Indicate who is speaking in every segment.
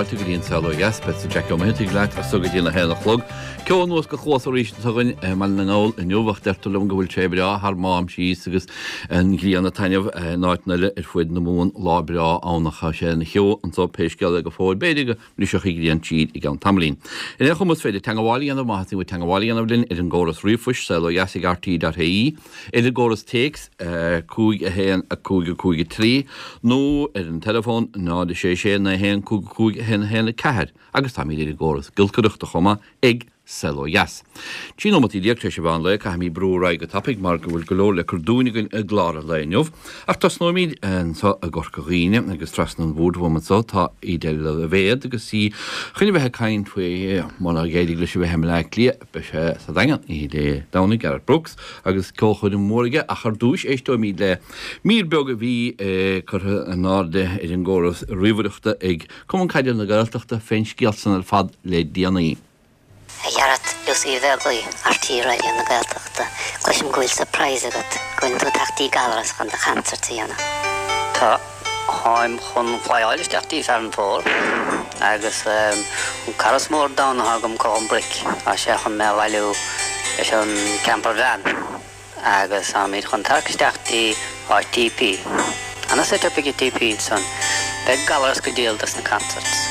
Speaker 1: fáilte go dtí an Saol Ó Dheas. Beadsa Jackie Ó Muircheartaigh leat as so go dtí an 1 a chlog. Ceo anuas go cluasa arís atá againn i mBaile na nGall inniu ach deirtear liom go bhfuil sé breá thar Mám síos agus an ghrian ag taitneamh in áiteanna eile ar fuaid na Mumhan. Lá breá ann ach tá sé ina cheo anso pé scéal é go fóill. B'fhéidir go mbrisfeadh an ghrian tríd i gceann tamaillín. Ar aon chuma is féidir teangabháil a dhéanamh má theastaíonn uait teangabháil a dhéanamh linn ar an gcóras ríomhphoist, saolodheas ag rte.ie, ar an gcóras téacs, 5 1 5 5 3, nó ar an teileafón 0 6 6 9 1 5 5 1 1 4 agus táimid ar an gcóras giolcaireachta chomh maith ag Saol Ó Dheas. 13 nóimeataí tar éis an mheán lae, caithfimid brú ar aghaidh go tapaidh mar go bhfuil go leor le cur dúinn againn i gclár an lae inniu. Ach tosnóimid anseo i gCorca Dhuibhne agus trasna an bhoird uaim anseo tá Edel Loibhéad agus í chun a bheith ag caint faoi munar éirigh leis a bheith i mBleá Cliath beidh sé sa Daingean oíche Dé Domhnaigh, Gareth Brooks agus ceolchoirm mhór aige ach ar dtúis éisteoimid le mír beag a bhí curtha in airde ar an gcóras ríomhaireachta ag Cumann Caide na Gaeltachta fén scéal san ar fad le déanaí.
Speaker 2: A Ghearet, Lucy Uí Bheaglaoi, RTÉ Raidió na Gaeltachta, Cloisim go bhfuil surprise agat, go bhfuileann tú ag teacht dtí Gallaras chun do chansairt a dhéanamh.
Speaker 3: Tá, táim chun flyáil isteach dtí Farranfore agus an cara is mó ar domhan atá agam Colm Bric, tá sé chun mé a bhailiú leis an camper van. Agus táimid chun tarrac isteach dtí áit TP. Ana set up ag TP ansan. Beidh Gallaras go diail dos na concerts.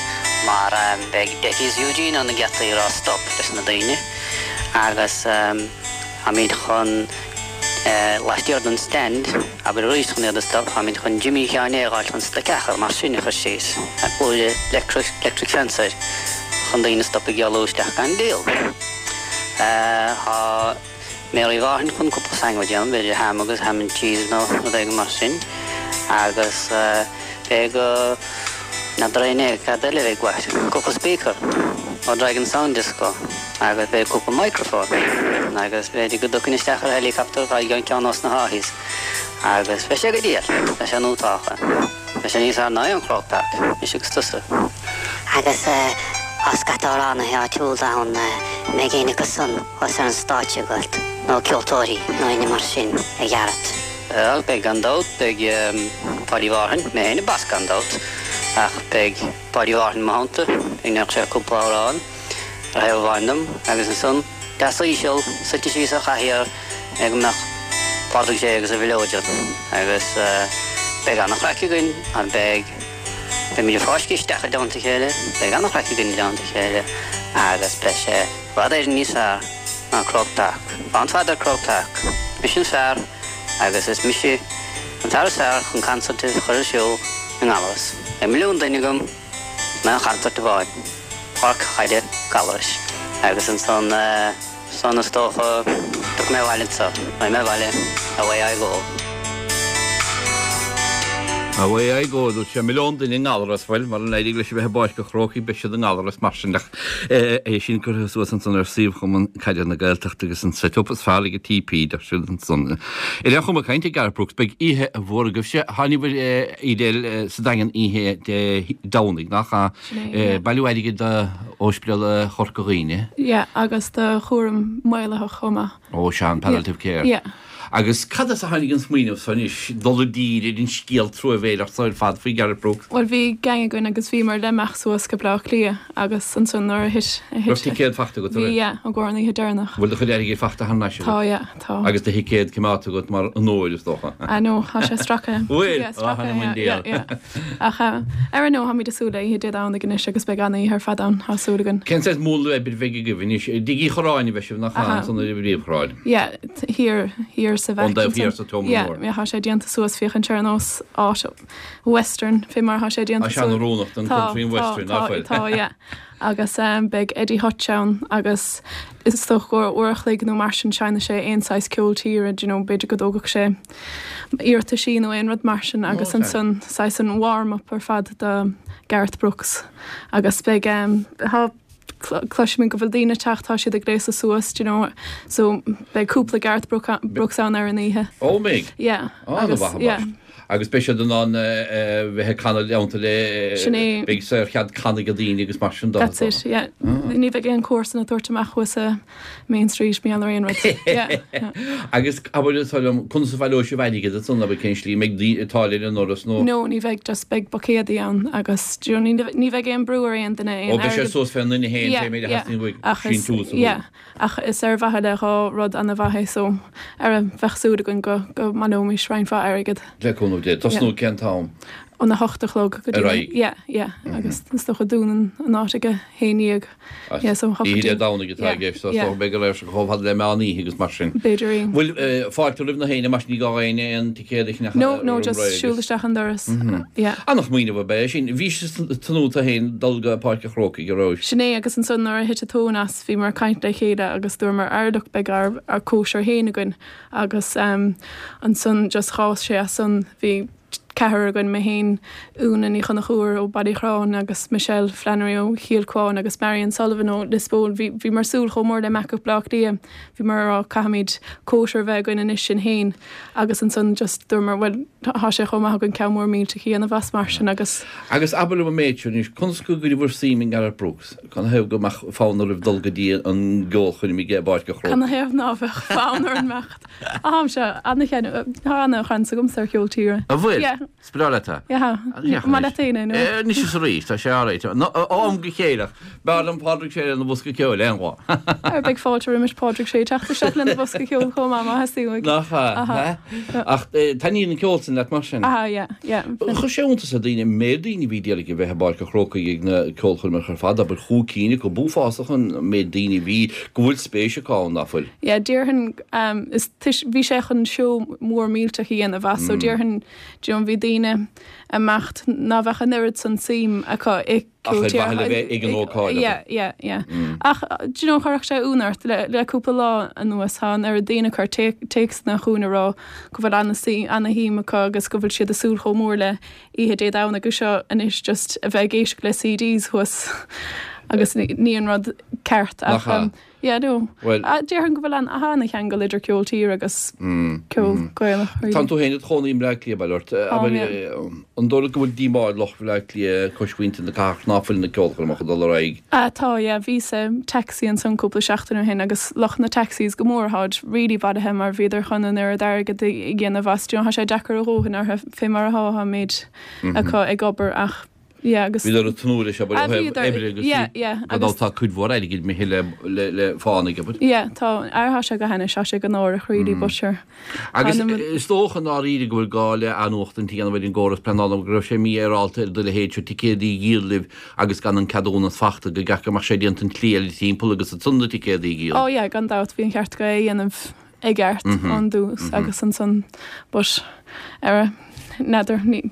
Speaker 3: Mar beidh Deccie is Eugene ar na geataí ag rá stop leis na daoine. Agus táimid chun laistiar den stand, abair arís chun iad a stop, táimid chun Jimmy Sheáin A dh'fháil chun stoic a chur mar sin a chur síos. Buaile electric fence air chun daoine a stop ag éalú isteach gan díol. Tá. Mary Mhárthain chun cúpla sandwich a dhéanamh, b'fhéidir ham agus ham and cheese nó rud éigin mar sin agus beidh n'fheadar éinne cad eile a bheidh uait, cúpla speaker ó Dragon Sound Disco agus beidh cúpla microphone agus b'fhéidir go dtiocfainn isteach ar helicopter fáil ceann ós na Haughey's agus beidh sé go diail, beidh sé nótálta. Beidh sé níos fearr ná aon Chroke Park, mise agus tusa.
Speaker 2: Agus tá scata amhránaithe áitiúla ann, an mbeidh éinne acu san thuas ar an stáitse agat, nó ceoltóirí nó éinne mar sin, a Ghearet?
Speaker 3: Bhuel, beidh gan dabht, beidh Páidí Mhárthain, mé féin ag bas gan dabht, ach beidh Páidí Mhárthain i mo theannta, ag sé cúpla amhrán. Ar thaobh amháin dom, agus ansan, deas íseal, suite síos ar chathaoir le go mbeadh Pádraig J agus a mhileoidean agus beidh ana-chraic againn, mar beidh, beimid ag fáisceadh isteach i dteannta a chéile, beidh ana-chraic againn i dteannta a chéile agus beidh sé i bhfad Éireann níos fearr ná Croke Park. Fán fad ar Croke Park. Mise an fear agus is mise an fear is fearr chun concert a chur ar siúl i nGallaras. Beidh milliún duine agam. In aon chansairt amháin, Páirc Chaide Gallarais, agus ansan san is dócha tiocfaidh mé abhaile anso, raghaidh mé abhaile, away I go.
Speaker 1: Away I go, dúirt sé, milliún duine i nGallaras, bhuel, mara n-éirigh leis a bheith i bPáirc an Chrócaigh, beidh siad i nGallaras mar sin, ach é sin curtha suas ansan ar suíomh Chumann Caide na Gaeltachta agus an set-up is fearr ag an TP, deir siad ansan. Ar aon chuma, caint ar Gareth Brooks, beidh oíche mhór agaibhse, tháinig Edel sa Daingean oíche Dé Domhnaigh, nach ea?
Speaker 4: Sin é, yeah.
Speaker 1: Bailiú airgid do Ospidéal Chorca Dhuibhne.
Speaker 4: Yeah, agus do chúram maolaitheach chomh maith.
Speaker 1: Ó, sea, an palliative care.
Speaker 4: Yeah.
Speaker 1: Agus cad as a tháinig an smaoineamh so anois dul i dtír ar an scéal truamhéileach so ar fad faoi Gareth Brooks?
Speaker 4: Bhuel, bhí gang againn agus bhíomar le imeacht suas go Bleá Cliath agus ansan nuair a thit, a thit.
Speaker 1: Raibh ticéad fachta agat, an
Speaker 4: Bhí,
Speaker 1: raibh?
Speaker 4: yeah, i gcomhair an oíche deireanach.
Speaker 1: Bhfuil do chuid airgid fachta thar n-ais agat?
Speaker 4: Tá, yeah. Tá.
Speaker 1: Agus do thicéad coimeádta agat mar onóir, is dócha.
Speaker 4: Ah no, tá sé stractha.
Speaker 1: Bhfuil?
Speaker 4: Yeah, stractha, yeah, yeah, yeah. Ach ar aon nós, táimid ag súil le oíche Dé Domhnaigh anois agus beidh an-oíche ar fad ann, tá súil againn.
Speaker 1: Cén saghas múnla oibre a bheidh agaibh anois? I dTigh Uí Chorráin a bheidh sibh, nach ea, ansan ar an bPríomhshráid?
Speaker 4: Yeah, thiar, thiar sa bhaic
Speaker 1: Ón dtaobh thiar sa tSeomra
Speaker 4: Yeah,
Speaker 1: Mór.
Speaker 4: yeah, tá sé déanta suas féachaint ar nós áit western, fé mar atá sé déanta
Speaker 1: Tá sé an-oiriúnach don country and western, nach bhfuil?
Speaker 4: Tá, tá, tá, yeah. Agus beidh Eddie Hutch ann agus is dócha go uair a chloig nó mar sin seinnfidh sé aon saghas ceol tíre, do you know, b'fhéidir go dtógfadh sé iarrataisí nó aon rud mar sin agus ansan saghas an warm up ar fad do Gareth Brooks agus beidh tá cloisimid go bhfuil daoine ag teacht, tá siad ag gléasadh suas, do you know, so beidh cúpla Gareth Brooks ann ar an oíche.
Speaker 1: Ó, mbeidh?
Speaker 4: Yeah.
Speaker 1: An-mhaith,
Speaker 4: yeah.
Speaker 1: Agus beidh siad in ann bheith ag canadh i dteannta le,
Speaker 4: Sin é.
Speaker 1: beidh saorchead canadh ag daoine agus mar sin de.
Speaker 4: That's it, yeah. Ní bheidh aon comharsan ag tabhairt amach thuas i Main Street, mar gheall ar aon rud. Yeah, yeah.
Speaker 1: Agus abair anseo liom, conas a bhaileoidh sibh airgead ansan, abair cén slí, an mbeidh táille ar an ndoras nó?
Speaker 4: No, ní bheidh, just beidh buicéadaí ann agus do you know, ní, ní bheidh aon brú ar aon duine
Speaker 1: aon Ó, beidh sé airgead. suas fén nduine féin,
Speaker 4: Yeah,
Speaker 1: pé méid a
Speaker 4: yeah.
Speaker 1: theastaíonn uaidh,
Speaker 4: Ach is,
Speaker 1: síntiús a
Speaker 4: yeah.
Speaker 1: thabhairt.
Speaker 4: Ach is ar mhaithe le dhá rud ana-mhaith é so ara bheadh súil againn go go mbaileoimis roinnt mhaith airgead.
Speaker 1: Le cúnamh Dé. Tosnú cén t-am?
Speaker 4: Óna hocht a chlog
Speaker 1: go dtí. Ar aghaidh?
Speaker 4: Yeah, yeah. Agus is dócha dúnann an áit ag a haon dhéag. Yeah, so hocht
Speaker 1: Oíche Dé Domhnaigh atá i gceist, so is dócha beidh go léir chomh fada le meán oíche agus mar sin.
Speaker 4: B'fhéidir é.
Speaker 1: Bhfuil fáilte roimh na héinne mar sin ní gá éinne aon ticéad a cheannach
Speaker 4: No, no, just siúl isteach an doras. Yeah.
Speaker 1: Ana-smaoineamh ab ea é sin. Bhís ag tnúth tú féin dul go Páirc an Chrócaigh, an raibh?
Speaker 4: Sin é, agus ansan nuair a thit an tóin as, bhíomar ag caint le chéile agus dúramar, Ara look, beidh ár, ár cóisir féin againn agus ansan just dh'fhás sé as san, bhí ceathrar againn, mé féin, Úna Ní Chonchúir ó Baile Uí Chorráin agus Michelle Flannery ó Chill Cuáin agus Marion Sullivan ó Lios Póil, bhí, bhíomar ag súil chomh mór le imeacht go Bleá Cliath, bhíomar ag rá caithfimid cóisir a bheith againn anois sinn féin agus ansan just dúramar bhuel tá sé chomh maith againn ceann mór millteach a dhéanamh as mar sin agus.
Speaker 1: Agus abair liom an méid seo anois, conas go gcuireadh bhur suim i nGareth Brooks? Canathaobh go mbeadh fonn oraibh dul go dtí an gceolchoirm i bPáirc an Chrócaigh?
Speaker 4: Canathaobh ná beadh fonn orainn imeacht? Táimse ana-cheann, tá ana-chraic agamsa ar cheol tíre.
Speaker 1: An bhfuil?
Speaker 4: Yeah.
Speaker 1: Is breá leat é?
Speaker 4: Yeah. An maith leat féin é nó?
Speaker 1: Anois is arís, tá sé alright. Ó am go chéile ach b'fhearr liom Pádraig Sé lena bhosca ceoil aon lá.
Speaker 4: Ar beidh fáilte roimis Pádraig Sé teacht isteach lena bhosca ceoil chomh maith má theastaíonn uaidh.
Speaker 1: Nach ea? Ach taitníonn an ceol sin leat mar sin?
Speaker 4: Aha, yeah, yeah.
Speaker 1: Chuir sé iontas ar daoine an méid daoine a bhí d'iarraidh a bheith i bPáirc an Chrócaigh ag na ceolchoirmeacha ar fad, abair chúig cinn acu, b'uafásach an méid daoine a bhí, go bhfuil spéis acu ann, ná fuil?
Speaker 4: Yeah, déarfainn, is toisc, bhí sé chun seó mór millteach a dhéanamh as, so déarfainn, do you know, bhí daoine ag imeacht ná bheadh an oiread san suim acu i
Speaker 1: Ach ar mhaithe le bheith ag an ócáid,
Speaker 4: abair. Yeah, yeah, yeah. Ach, do you know, chuirfeadh sé ionadh ort, le, le cúpla lá anuas, tá an oiread daoine ag cur téacsanna chugainn ag rá go bhfuil ana-shuim acu agus go bhfuil siad ag súil chomh mór le oíche Dé Domhnaigh seo anois just a bheith ag éisteacht le CDs thuas agus ní an rud ceart
Speaker 1: ach,
Speaker 4: Nach ea? Yeah, no.
Speaker 1: Bhuel.
Speaker 4: Déarfainn go bhfuil an, an-cheangal idir ceol tíre agus ceol Gaelach, really.
Speaker 1: Tánn tú féin id chónaí i mBleá Cliath, bail ort.
Speaker 4: Táim, yeah.
Speaker 1: An dóigh leat go bhfuil díomá ar lucht Bhleá Cliath cois mhuintir na cathrach ná fuil na ceolchoirmeacha ag dul ar aghaidh?
Speaker 4: Ah, tá, yeah. Bhíos i taxi ansan cúpla seachtain ó shin agus lucht na taxis go mór tháid really buartha mar bhíodar chun an oiread airgid a dhéanamh as. Do you know, tá sé deacair a dhóthain orthu fé mar atá, tá an méid acu ag obair ach Yeah, agus.
Speaker 1: Bhíodar ag tnúth leis abair ó thaobh oibre agus
Speaker 4: yeah, yeah,
Speaker 1: gan dabht tá cuid mhór airgid imithe le le le fánaigh abair.
Speaker 4: Yeah, tá, ar tá sé go hainnis, tá sé go náireach really but sure.
Speaker 1: Agus is dócha i ndáiríre go bhfuil gá le athnuachtaint a dhéanamh ar an gcóras pleanála go raibh sé mífhéaráilte ar do leithéid seo ticéadaí a dhíol libh agus gan an ceadúnas fachta go gceart go mbeadh sé déanta an tslí eile timpeall agus ansan na ticéadaí a dhíol.
Speaker 4: Oh yeah, gan dabht bhí an cheart go é a dhéanamh i gceart ón dtús agus ansan but ara n'fheadar ní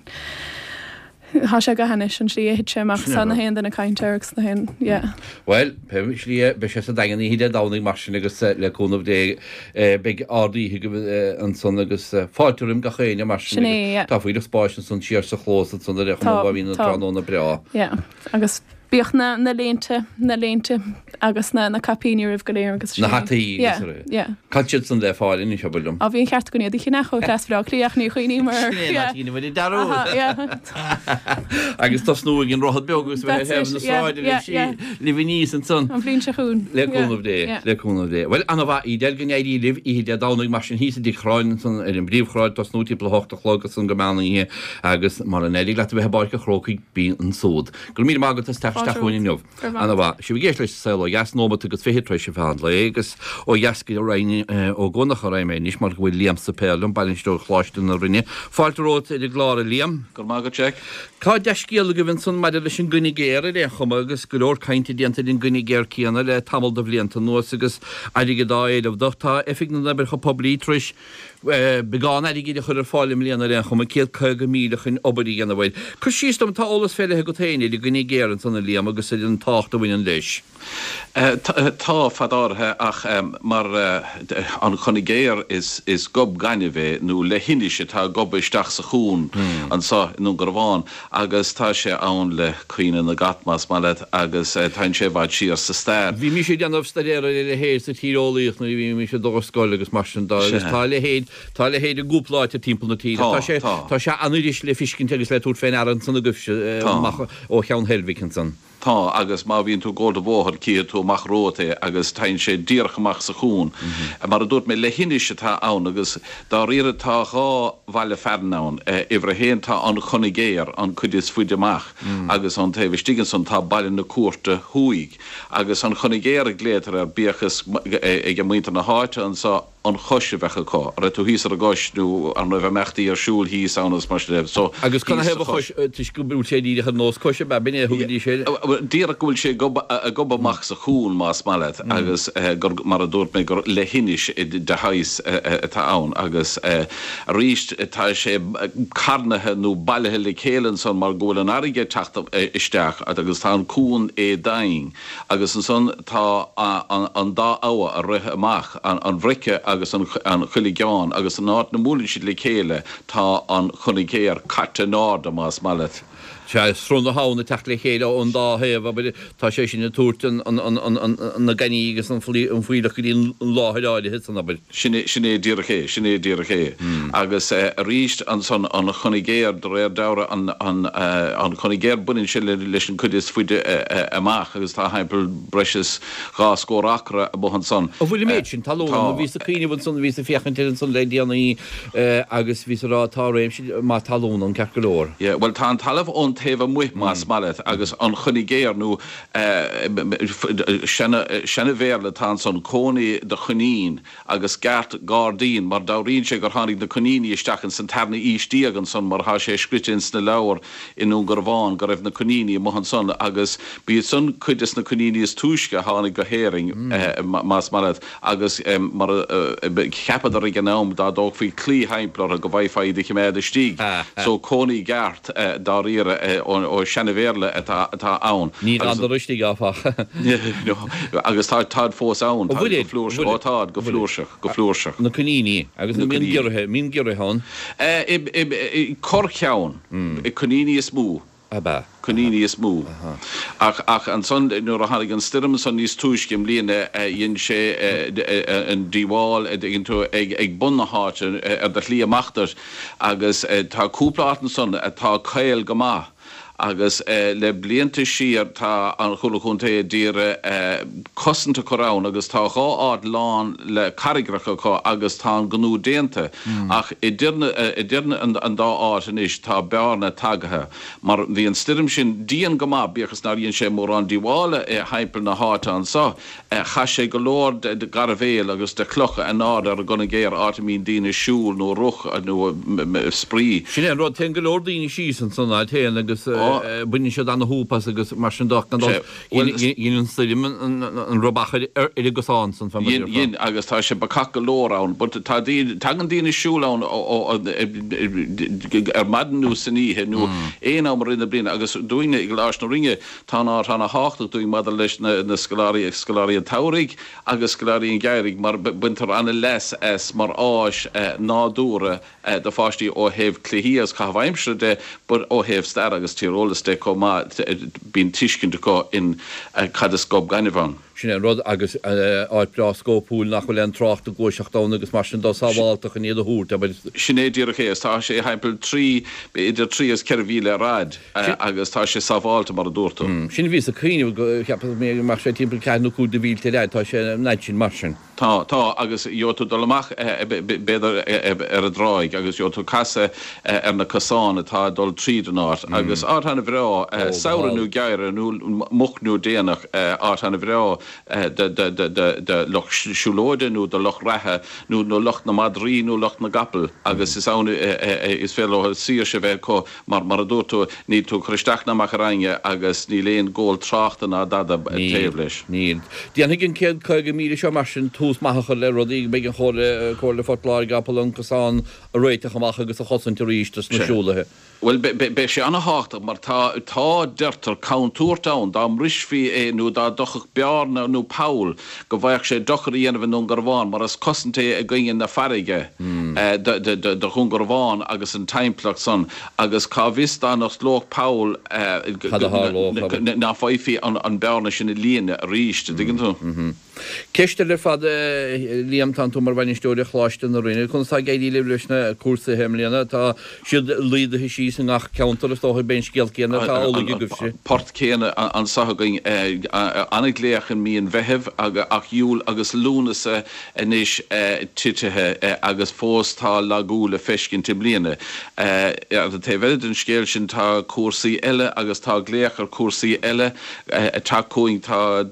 Speaker 4: Tá sé go hainnis an tslí a thit sé amach tá na haon duine ag caint air agus na haon yeah.
Speaker 1: Bhuel, pé slí é, beidh sé sa Daingean oíche Dé Domhnaigh mar sin agus le cúnamh Dé beidh ard-oíche agaibh ansan agus fáilte roim gach éinne mar sin
Speaker 4: Sin é, yeah.
Speaker 1: Tá fuílleach spáis ansan siar sa chlós ansan ar aon chuma má bhíonn an tráthnóna breá.
Speaker 4: Yeah, agus Bíodh na, na léinte, na léinte agus na, na caipíní roimh go léir agus
Speaker 1: sin Na hataí
Speaker 4: agus Yeah, yeah.
Speaker 1: Cá bhfuil siad san le fáil anois, abair liom?
Speaker 4: Á, bhí an cheart againn iad a cheannach ó Chleas Bhaile Átha Cliath ach ní chuimhníomar air.
Speaker 1: Sin é, ná
Speaker 4: Yeah.
Speaker 1: déanamh ar an dearúd.
Speaker 4: Aha, yeah.
Speaker 1: Agus tosnú ag an Droichead Beag agus bheith ar
Speaker 4: That's
Speaker 1: thaobh na
Speaker 4: it, yeah,
Speaker 1: sráide
Speaker 4: yeah,
Speaker 1: libh,
Speaker 4: yeah.
Speaker 1: libh aníos ansan.
Speaker 4: An bhliain seo chugainn.
Speaker 1: Le
Speaker 4: Yeah,
Speaker 1: cúnamh Dé,
Speaker 4: yeah.
Speaker 1: le cúnamh Dé. Bhuel, ana-mhaith, Edel, go n-éirí libh oíche Dé Domhnaigh mar sin thíos i dTigh Chorráin ansan ar an bpríomhshráid, tosnú timpeall a hocht a chlog ansan go meán oíche agus mura n-éirigh leat a bheith i bPáirc an Chrócaigh, bí ansúd. Go raibh míle maith agat as teacht isteach chugainn inniu. Ana-mhaith. Sibh ag éisteacht leis An Saol Ó Dheas, nóimeat agus fiche tar éis an mheán lae agus ó dheas go Rinn Ó gCuanach a raghaidh mé anois mar go bhfuil Liam Suipéir liom, bainisteoir Choláiste na Rinne. Fáilte romhat ar an gclár, a Liam.
Speaker 5: Go raibh maith agat, Jack.
Speaker 1: Tá dea-scéal agaibh ansan maidir leis an gcoinne ghéar ar aon chuma agus go leor cainte déanta ar an gcoinne ghéar céanna le tamall de bhlianta anuas agus airgead á éileamh do. Tá Oifig na nOibreacha Poiblí tar éis beagán airgid a chur ar fáil i mbliana ar aon chuma, 150,000 chun obair a dhéanamh air. Cuir síos dom, tá eolas fé leith agat féin ar an gcoinne ghéar ansan a Liam agus ar an tábhacht a bhaineann leis.
Speaker 5: Tá, fad áirithe, ach mar an Conigéar is gob gainimh é, nó leithinis atá gobtha isteach sa chuan anso i nDún Garbhán, agus tá sé ann le caoineadh na gcat, más maith leat, agus téann sé i bhfad siar sa stair.
Speaker 1: Bhí mise ag déanamh staidéar ar a leithéid sa tíreolaíocht nuair a bhí mise ag dul ar scoil agus mar sin de, agus tá a leithéid, tá a leithéid i gcúpla áit timpeall na tíre. Tá sé, tá sé an-fhuirist le fiscint agus le tabhairt fé ndeara ansan agaibhse, amach ó Cheann Heilbhic ansan.
Speaker 5: Tá, agus má bhíonn tú ag gabháil de bhóthar, cífidh tú amach romhat é agus téann sé díreach amach sa chuan. Mar a dúirt mé, leithinis atá ann agus dáiríre tá dhá bhaile fearainn ann. Uimhir a haon tá an Conigéar, an cuid is faide amach, agus ón taobh istigh ansan tá Baile na Cúirte Thuaidh. Agus an Conigéar a glaotar air, bíodh is ag muintir na háite anso, an chois a bheadh acu, an raibh tú thíos ar an gcois nó an raibh imeachtaí ar siúl thíos ann agus mar sin de. So,
Speaker 1: Agus cad ina thaobh an chois, toisc go bhfuil sé díreach ar nós coise, ab ea, b'in é a thugaidís air?
Speaker 5: Díreach go bhfuil sé ag gobadh amach sa chuan, más maith leat, agus gur, mar a dúirt mé, gur leithinis de shaghas atá ann agus arís tá sé carnaithe nó bailithe le chéile ansan mar go bhfuil an fharraige ag teacht isteach agus tá an cuan éadomhain. Agus ansan tá an dá abha a rith amach, an Bhrice agus an Chuilceann, agus an áit 'na mbuaileann siad le chéile tá an Conigéar caite in airde, más maith leat.
Speaker 1: Sea, sruth na habhann ag teacht le chéile ón dá thaobh, abair, tá sé sin ag tabhairt na gainní agus an fuílleach go dtí an láthair áirithe san, abair.
Speaker 5: Sin é, sin é díreach é, sin é díreach é. Agus arís ansan an Chonigéar, de réir dealraimh an, an, an Conigéar baineann sé leis an cuid is faide amach agus tá thimpeall breis is dhá scór acra amuigh ansan.
Speaker 1: An bhfuil an méid sin talún ann? Bhíos ag cuimhneamh ansan, bhíos ag féachaint air ansan le déanaí agus bhíos ag rá tá réimse maith talún ann ceart go leor.
Speaker 5: Yeah, bhuel tá an talamh ón taobh amuigh más maith leat agus an Chonigéar nó Seana-Bhéarla atá ansan, cónaí do choinín agus geart gairdín, mar dealraíonn sé gur tháinig na coiníní isteach ins an tarna aois déag ansan mar thá sé scrite ins na leabhair i nDún Garbhán go raibh na coiníní amuigh ansan agus b'iad san cuid des na coiníní is túisce a tháinig go hÉirinn más maith leat. Agus mar a cheapadar ag an am, dá dtógfaí claí thimpeall orthu go bhfaighfeá iad a chimeád istigh. So cónaí geart, dáiríre, ó seana-Bhéarla atá ann.
Speaker 1: Ní d'fhanadar istigh, áfach.
Speaker 5: Agus tá, táid fós ann. Táid go flúirseach. Ó táid, go flúirseach, go flúirseach.
Speaker 1: Na coiníní. Agus an mbíonn giorraithe, mbíonn giorraithe ann?
Speaker 5: Corrcheann. Coiníní is mó.
Speaker 1: Ab ea?
Speaker 5: Coiníní is mó. Ach, ach ansan nuair a tháinig an stoirm ansan níos túisce i mbliana dhein sé an díobháil, a dtuigeann tú, ag, ag bun na háite ar do shlí amach duit agus tá cúpla áit ansan atá caol go maith agus le blianta siar tá an Chomhairle Chontae a d'iarraidh cosaint a chur ann agus tá dhá áit lán le carraigreacha acu agus tá an gnó déanta ach idir na, idir an dá áit anois tá bearna tagaithe. Mar bhí an stoirm sin dian go maith, bíodh is nár dhein sé mórán díobhála i thimpeall na háite anso, chaith sé go leor de ghairbhéal agus de chlocha in airde ar an gConigéar, áit a mbíonn daoine ag siúl nó ag rith nó ag spraoi.
Speaker 1: Sin é an rud, téann go leor daoine síos ansan áit féin agus baineann siad ana-shúp as agus mar sin de ach gan dabht Dhein an stoirm an rubach ar an gcosán san
Speaker 5: fá mar a déarfá. Dhein, agus tá sé bacach go leor ann, but tá daoine, tagann daoine ag siúl ann ar maidin nó san oíche nó aon am i rith na bliana agus dúinne i gColáiste na Rinne tá an áit ana-thábhachtach dúinn maidir leis na scoláirí, scoláirí an tsamhraidh agus scoláirí an gheimhridh mar baintear ana-leas as mar áis nádúrtha do pháistí ó thaobh cluichí agus caitheamh aimsire de but ó thaobh stair agus tíreolas de chomh maith, bíonn tuiscint acu in cad is gob gainimh ann.
Speaker 1: Sin é an rud, agus áit breá scópúil nach bhfuil aon trácht ag gluaiseacht ann agus mar sin de, sábhálta chun iad a thabhairt,
Speaker 5: abair. Sin é díreach é, tá sé thimpeall trí, idir trí agus ceithre mhíle ar fhaid agus tá sé sábhálta mar a dúirt tú.
Speaker 1: Sin a bhíos ag cuimhneamh, go, cheapas mé go mbeadh sé timpeall ceathair nó cúig de mhílte ar fhaid, tá sé an fhaid sin mar sin.
Speaker 5: Tá, tá, agus gheobhaidh tú dul amach, b'fhéidir, ar an dtráigh agus gheobhaidh tú casadh ar na cosáin atá ag dul tríd an áit agus áit ana-bhreá, samhradh nó geimhreadh nó moch nó déanach, áit ana-bhreá. Do lucht siúlóide nó do lucht reatha nó nó lucht na madraí nó lucht na gcapall agus is ann is féidir leo saoirse a bheith acu mar mar a dúirt tú níl tú ag cur isteach ná amach ar éinne agus níl aon ghabháil tráchta ná dada taobh leis.
Speaker 1: Níl. Déanfaidh an 150,000 seo mar sin tús maith a chur le rudaí go mbeidh an Chomhairle, Comhairle Phort Láirge ábalta an cosán a réiteach amach agus a chosaint arís dos na siúlaithe.
Speaker 5: Bhuel, beidh sé an-thábhachtach mar tá, tá, deirtear, contúirt ann dá mbrisfí é nó dá dtiocfadh bearna nó poll go bhfaigheadh sé dochar a dhéanamh i nDún Garbhán mar is cosaint é i gcoinne na farraige do Dhún Garbhán agus an timpeallacht san agus cá bhfios dá n-osclódh poll ná faighfí an bearna sin a líonadh arís, an dtuigeann tú?
Speaker 1: Ceist eile ar fad, a Liam, tánn tú mar bhainisteoir ar Choláiste na Rinne. Conas tá ag éirí libh leis na cúrsaithe i mbliana? Tá siad laghdaithe síos i ngach ceantar, is dócha, beidh an scéal céanna atá amhlaidh agaibhse.
Speaker 5: Port céanna anso againn, an-ghlaoch i mí an Mheithimh ach Iúil agus Lúnasa anois titithe agus fós tá lagú le feiscint i mbliana. Ar an taobh eile den scéal sin tá cúrsaí eile agus tá glaoch ar chúrsaí eile ag teacht chugainn. Tá.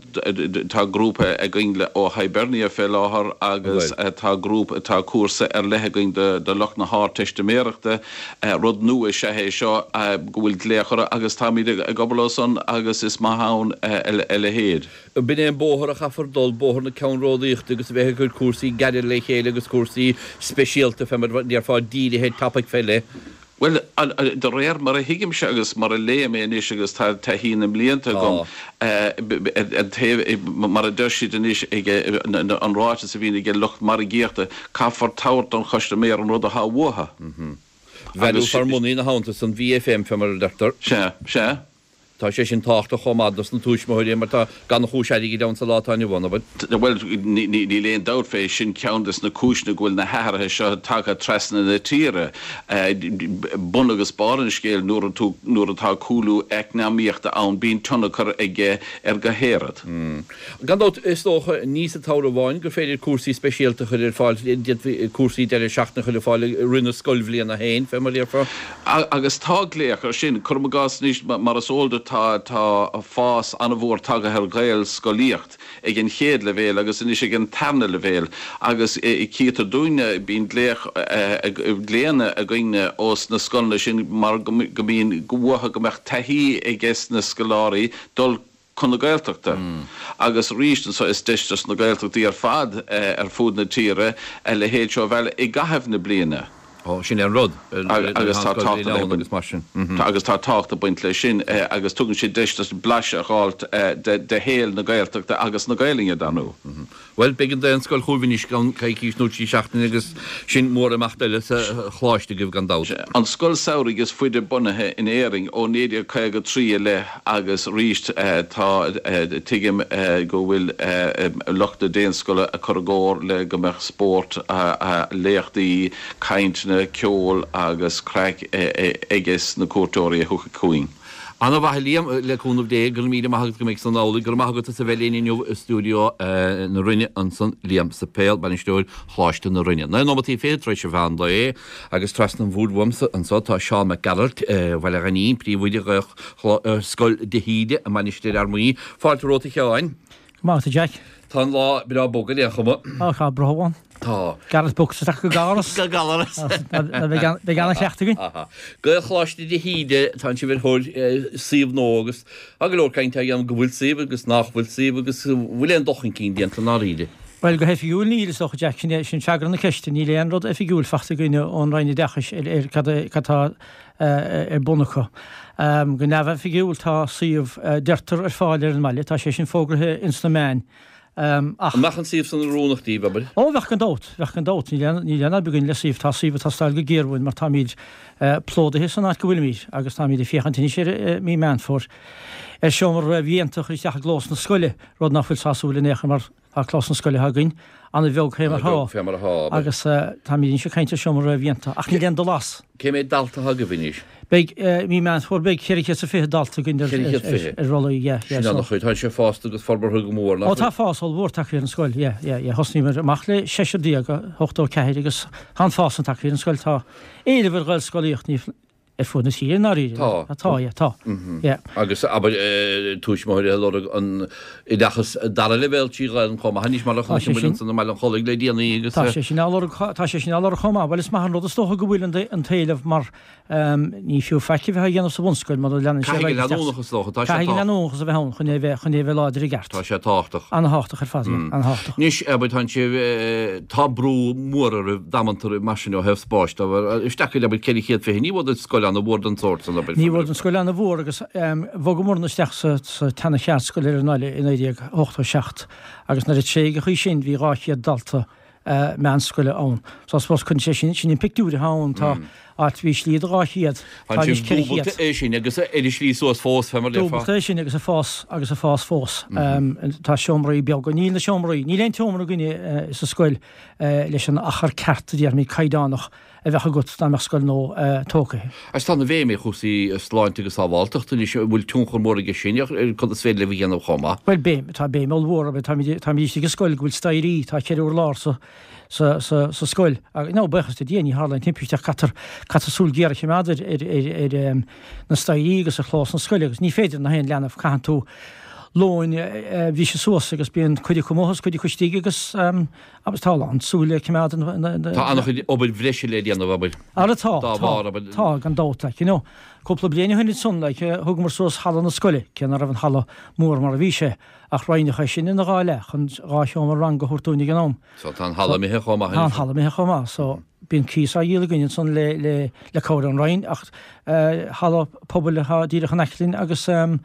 Speaker 5: Tá grúpa againn ó Hibernia fé láthair agus tá grúpa, tá cúrsa ar leith againn do lucht na hArdteistiméireachta. Rud nua is ea é seo go bhfuil glaoch orthu agus táimid ag obair leo san agus is maith ann a leithéid.
Speaker 1: B'in é an bóthar a chaithfear dul, bóthar na ceannródaíochta agus a bheith ag cur cúrsaí gearra le chéile agus cúrsaí speisialta fé mar a déarfá dírithe ar topaic fé leith.
Speaker 5: Bhuel, de réir mar a thuigimse agus mar a léim é anois agus tá taithí na mblianta agam, an taobh, mar a deir siad anois ag an ráiteas a bhíonn ag lucht margaíochta, caithfear tabhairt don chustaiméir an rud atá uathu.
Speaker 1: Value for money ina theannta san, VFM fé mar a deirtear.
Speaker 5: Sea, sea.
Speaker 1: Tá sé sin tábhachtach chomh maith dos na tuismitheoirí mar tá gannchúis airgid ann sa lá atá inniu ann, ab
Speaker 5: ea? Bhuel, níl aon dabht fé, sin ceann des na cúiseanna go bhfuil na hathruithe seo tagtha trasna na tíre. Bun agus barr an scéil, nuair tú, nuair atá cúlú eacnamaíochta ann, bíonn tionchar aige ar gach aon rud.
Speaker 1: Gan dabht, is dócha, ní sa tsamhradh amháin gur féidir cúrsaí speisialta a chur ar fáil, d'fhéadfaí cúrsaí deireadh seachtaine a chur ar fáil i rith na scoilbhliana féin, fé mar a déarfá.
Speaker 5: Agus tá glaoch air sin. Cuirim i gcás anois, mar is eol duit, tá tá fás an-mhór tagtha ar Ghaelscolaíocht ag an chéad leibhéal agus anois ag an tarna leibhéal agus cítear dúinne, bíonn glaoch, glaonna againne ós na scoileanna sin mar go mbíonn uathu go mbeadh taithí ages na scoláirí dul chun na Gaeltachta. Agus arís anseo is deis dos na Gaeltachtaí ar fad ar fuaid na tíre a leithéid seo a mhealladh i gcaitheamh na bliana.
Speaker 1: Ó, sin é an rud.
Speaker 5: Agus tá tábhacht ag baint mar sin. Agus tá tábhacht ag baint leis sin agus tugann sé deis duit blaiseadh a dh'fháilt de shaol na Gaeltachta agus na Gaelainne, dar ndóigh.
Speaker 1: Bhuel, beidh an Daonscoil chugaibh anois i gceann coicís nó trí seachtaine agus sin mórimeacht eile sa Choláiste agaibh gan dabht.
Speaker 5: An scoil samhraidh is faide bunaithe in Éirinn, ó 1953 i leith agus arís tá, tuigim go bhfuil lucht na Daonscoile ag cur i gcóir le go mbeadh spórt, léachtaí, cainteanna, ceol agus craic aiges na cuairteoirí a thiocfaidh chugainn.
Speaker 1: Ana-mhaith a Liam, le cúnamh Dé, go raibh míle maith agat go mbeidh san amhlaidh. Go raibh maith agat as a bheith linn inniu i stiúideo na Rinne ansan, Liam Suipéil, Bainisteoir Choláiste na Rinne. Naoi nóimeataí fichead tar éis an mheán lae agus trasna an bhoird uaimse anso tá Seán Mac Gearailt, Bhaile Ghainín, Príomhoide Ghaelscoil de hÍde i Mainistir Fhear Maí. Fáilte romhat a Sheáin.
Speaker 6: Go maith agat a Jack.
Speaker 1: Tá an lá breá bog ar aon chuma.
Speaker 6: Á, tá brobh ann.
Speaker 1: Tá.
Speaker 6: Gareth Books isteach go Gallaras.
Speaker 1: Go Gallaras.
Speaker 6: Beidh ana-chleachtadh againn.
Speaker 1: Aha. Gaelcholáiste de hÍde, tánn sibh ar thóir suíomh nua agus tá go leor cainte á dhéanamh go bhfuil suíomh agus nach bhfuil suíomh agus bhfuil aon dul chun cinn déanta i ndáiríre.
Speaker 6: Bhuel, go hoifigiúil níl, is dócha, Jack. Sin é, sin freagra na ceiste. Níl aon rud oifigiúil faighte againn ón Roinn Oideachais ar ar cad cad tá ar bun acu. Go neamhoifigiúil tá suíomh, deirtear, ar fáil ar an mbaile. Tá sé sin fógraithe ins na meáin.
Speaker 1: Ach. An mbeadh an suíomh san oiriúnach daoibh, abair?
Speaker 6: Ó, bheadh gan dabht, bheadh gan dabht. Níl aon, níl aon fhadhb againn le suíomh. Tá suíomh ag teastáil go géar uainn mar táimid plódaithe san áit go bhfuilimid agus táimid ag féachaint anois ar mí Meán Fómhair ar seomra réamhdhéanta a chur isteach i gclós na scoile, rud nach bhfuil sásúil in aon chor mar Tá clós na scoile atá againn an-bheag fé mar
Speaker 1: atá
Speaker 6: agus táimid anois ag caint ar seomra réamhdhéanta ach níl aon dul as.
Speaker 1: Cé mhéad dalta atá agaibh anois?
Speaker 6: Beidh, mí Meán Fómhair, beidh 420 dalta againn ar
Speaker 1: 420?
Speaker 6: rollaí, yeah,
Speaker 1: yeah. Sin an-chuid. Tá sé fásta agus forbartha go mór,
Speaker 6: nach bhfuil? Ó tá fás ollmhór tagtha ar an scoil, yeah, yeah, yeah. Thosnaíomar amach le seisear déag, 84 agus tá an-fhás tagtha ar an scoil. Tá éileamh ar Ghaelscolaíocht, ní. Ar fud na tíre i ndáiríre.
Speaker 1: Tá.
Speaker 6: Tá, yeah, tá. Yeah.
Speaker 1: Agus abair tuismitheoirí ag lorg an oideachas dara leibhéal trí Ghaelainn chomh maith anois mar a chonaic muid ansan i mBaile an Chollaigh le déanaí agus.
Speaker 6: Tá sé sin á lorg, tá sé sin á lorg chomh maith. Bhuel is maith an rud is dócha go bhfuil an t-éileamh mar ní fiú faic a bheith á dhéanamh sa bhunscoil mura leanann sé ar
Speaker 1: aghaidh isteach. Caithfidh an leanúnachas is dócha, tá sé
Speaker 6: Caithfidh an leanúnachas a bheith ann chun é a bheith, chun é a bheith láidir i gceart.
Speaker 1: Tá sé tábhachtach.
Speaker 6: Ana-thábhachtach ar fad, yeah, ana-thábhachtach.
Speaker 1: Anois, abair, tá sibh, tá brú mór oraibh damanta oraibh mar sin ó thaobh spáis de, isteach go, abair, 420, ní bhfuair duit scoil ana-mhór den tsórt san, abair.
Speaker 6: Ní bhfuair an scoil ana-mhór agus bhogamarna isteach sa, sa tseana-cheardscoil ar an mbaile i 1987 agus nuair a tréigeadh í sin bhí 200 dalta meánscoile ann. So I suppose cuireann sé sin, sin an pictiúr atá ann, tá áit, bhí slí do 200,
Speaker 1: tá anois 400. Dúbailte é sin agus ar an slí suas fós, fé mar a déarfá.
Speaker 6: Dúbailte é sin agus ag fás, agus ag fás fós. Tá seomraí beaga, níl na seomraí, níl aon tseomra againne sa scoil leis an achar ceart a déarfaimid caighdeánach a bheadh agat dá mbeadh scoil nua tógtha.
Speaker 1: Agus tá ana bhéim ar chúrsaí sláinte agus sábháilteachta anois, an bhfuil tionchar mór aige sin ar cad is féidir libh a dhéanamh chomh maith?
Speaker 6: Bhuel, béim, tá béim ollmhór, táimid, táimid istigh i scoil go bhfuil staighrí, tá ceithre urlár sa, sa, sa, sa scoil. Agus, no, buíochas le Dia, ní tharla aon timpiste ach caithfear, caithfear súil ghéar a choimeád ar, ar, ar, ar na staighrí agus ar chlós na scoile agus ní féidir na haon leanbh, caitheann tú lóin a bhriseadh suas agus bíonn cuid acu amuigh agus cuid acu istigh agus, Agus tá a lán súile ag coimeád
Speaker 1: an. Tá an-chuid obair bhreise le déanamh, abair.
Speaker 6: Ara tá,
Speaker 1: Dá
Speaker 6: tá,
Speaker 1: bharr, abair.
Speaker 6: tá, gan dabht, like, you know. Cúpla bliain ó shin ansan, like, thugamar suas halla na scoile, cé ná raibh an halla mór mar a bhí sé, ach roinneadh é sin ina dhá leath chun dhá sheomra ranga a thabhairt dúinn ag an am.
Speaker 1: So tá an halla imithe chomh maith
Speaker 6: Tá an halla imithe chomh maith, so bíonn cíos á dhíol againn ansan le, le, le cabhair ón Roinn, ach eh, halla pobail atá díreach in aice linn agus ehm,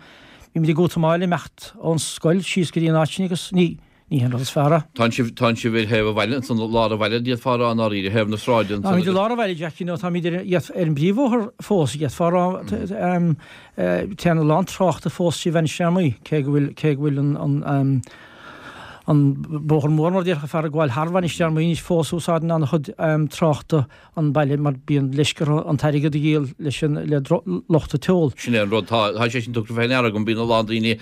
Speaker 6: bímid ag útamáil imeacht ón scoil síos go dtí an áit sin agus ní, Ní hé an rud is fearr é.
Speaker 1: Tánn sibh, tánn sibh ar thaobh an bhaile ansan, lár an bhaile, d'fhéadfá a rá i ndáiríre, thaobh na sráide
Speaker 6: ansan Táimid i lár an bhaile, Jack, you know, táimid ar, ar an bpríomhbhóthar fós, d'fhéadfá a rá, téann a lán tráchta fós trí Mhainistir Fhear Maí, cé go bhfuil, cé go bhfuil an, an, an bóthar mór, mar a déarfadh fear, ag gabháil thar Mhainistir Fhear Maí anois fós, úsáideann an-chuid tráchta an baile mar bíonn leisce orthu an t-airgead a dhíol leis an le lucht an tseoil.
Speaker 1: Sin é an rud, tá tá sé sin tugtha fé ndeara agam, bíonn a lán daoine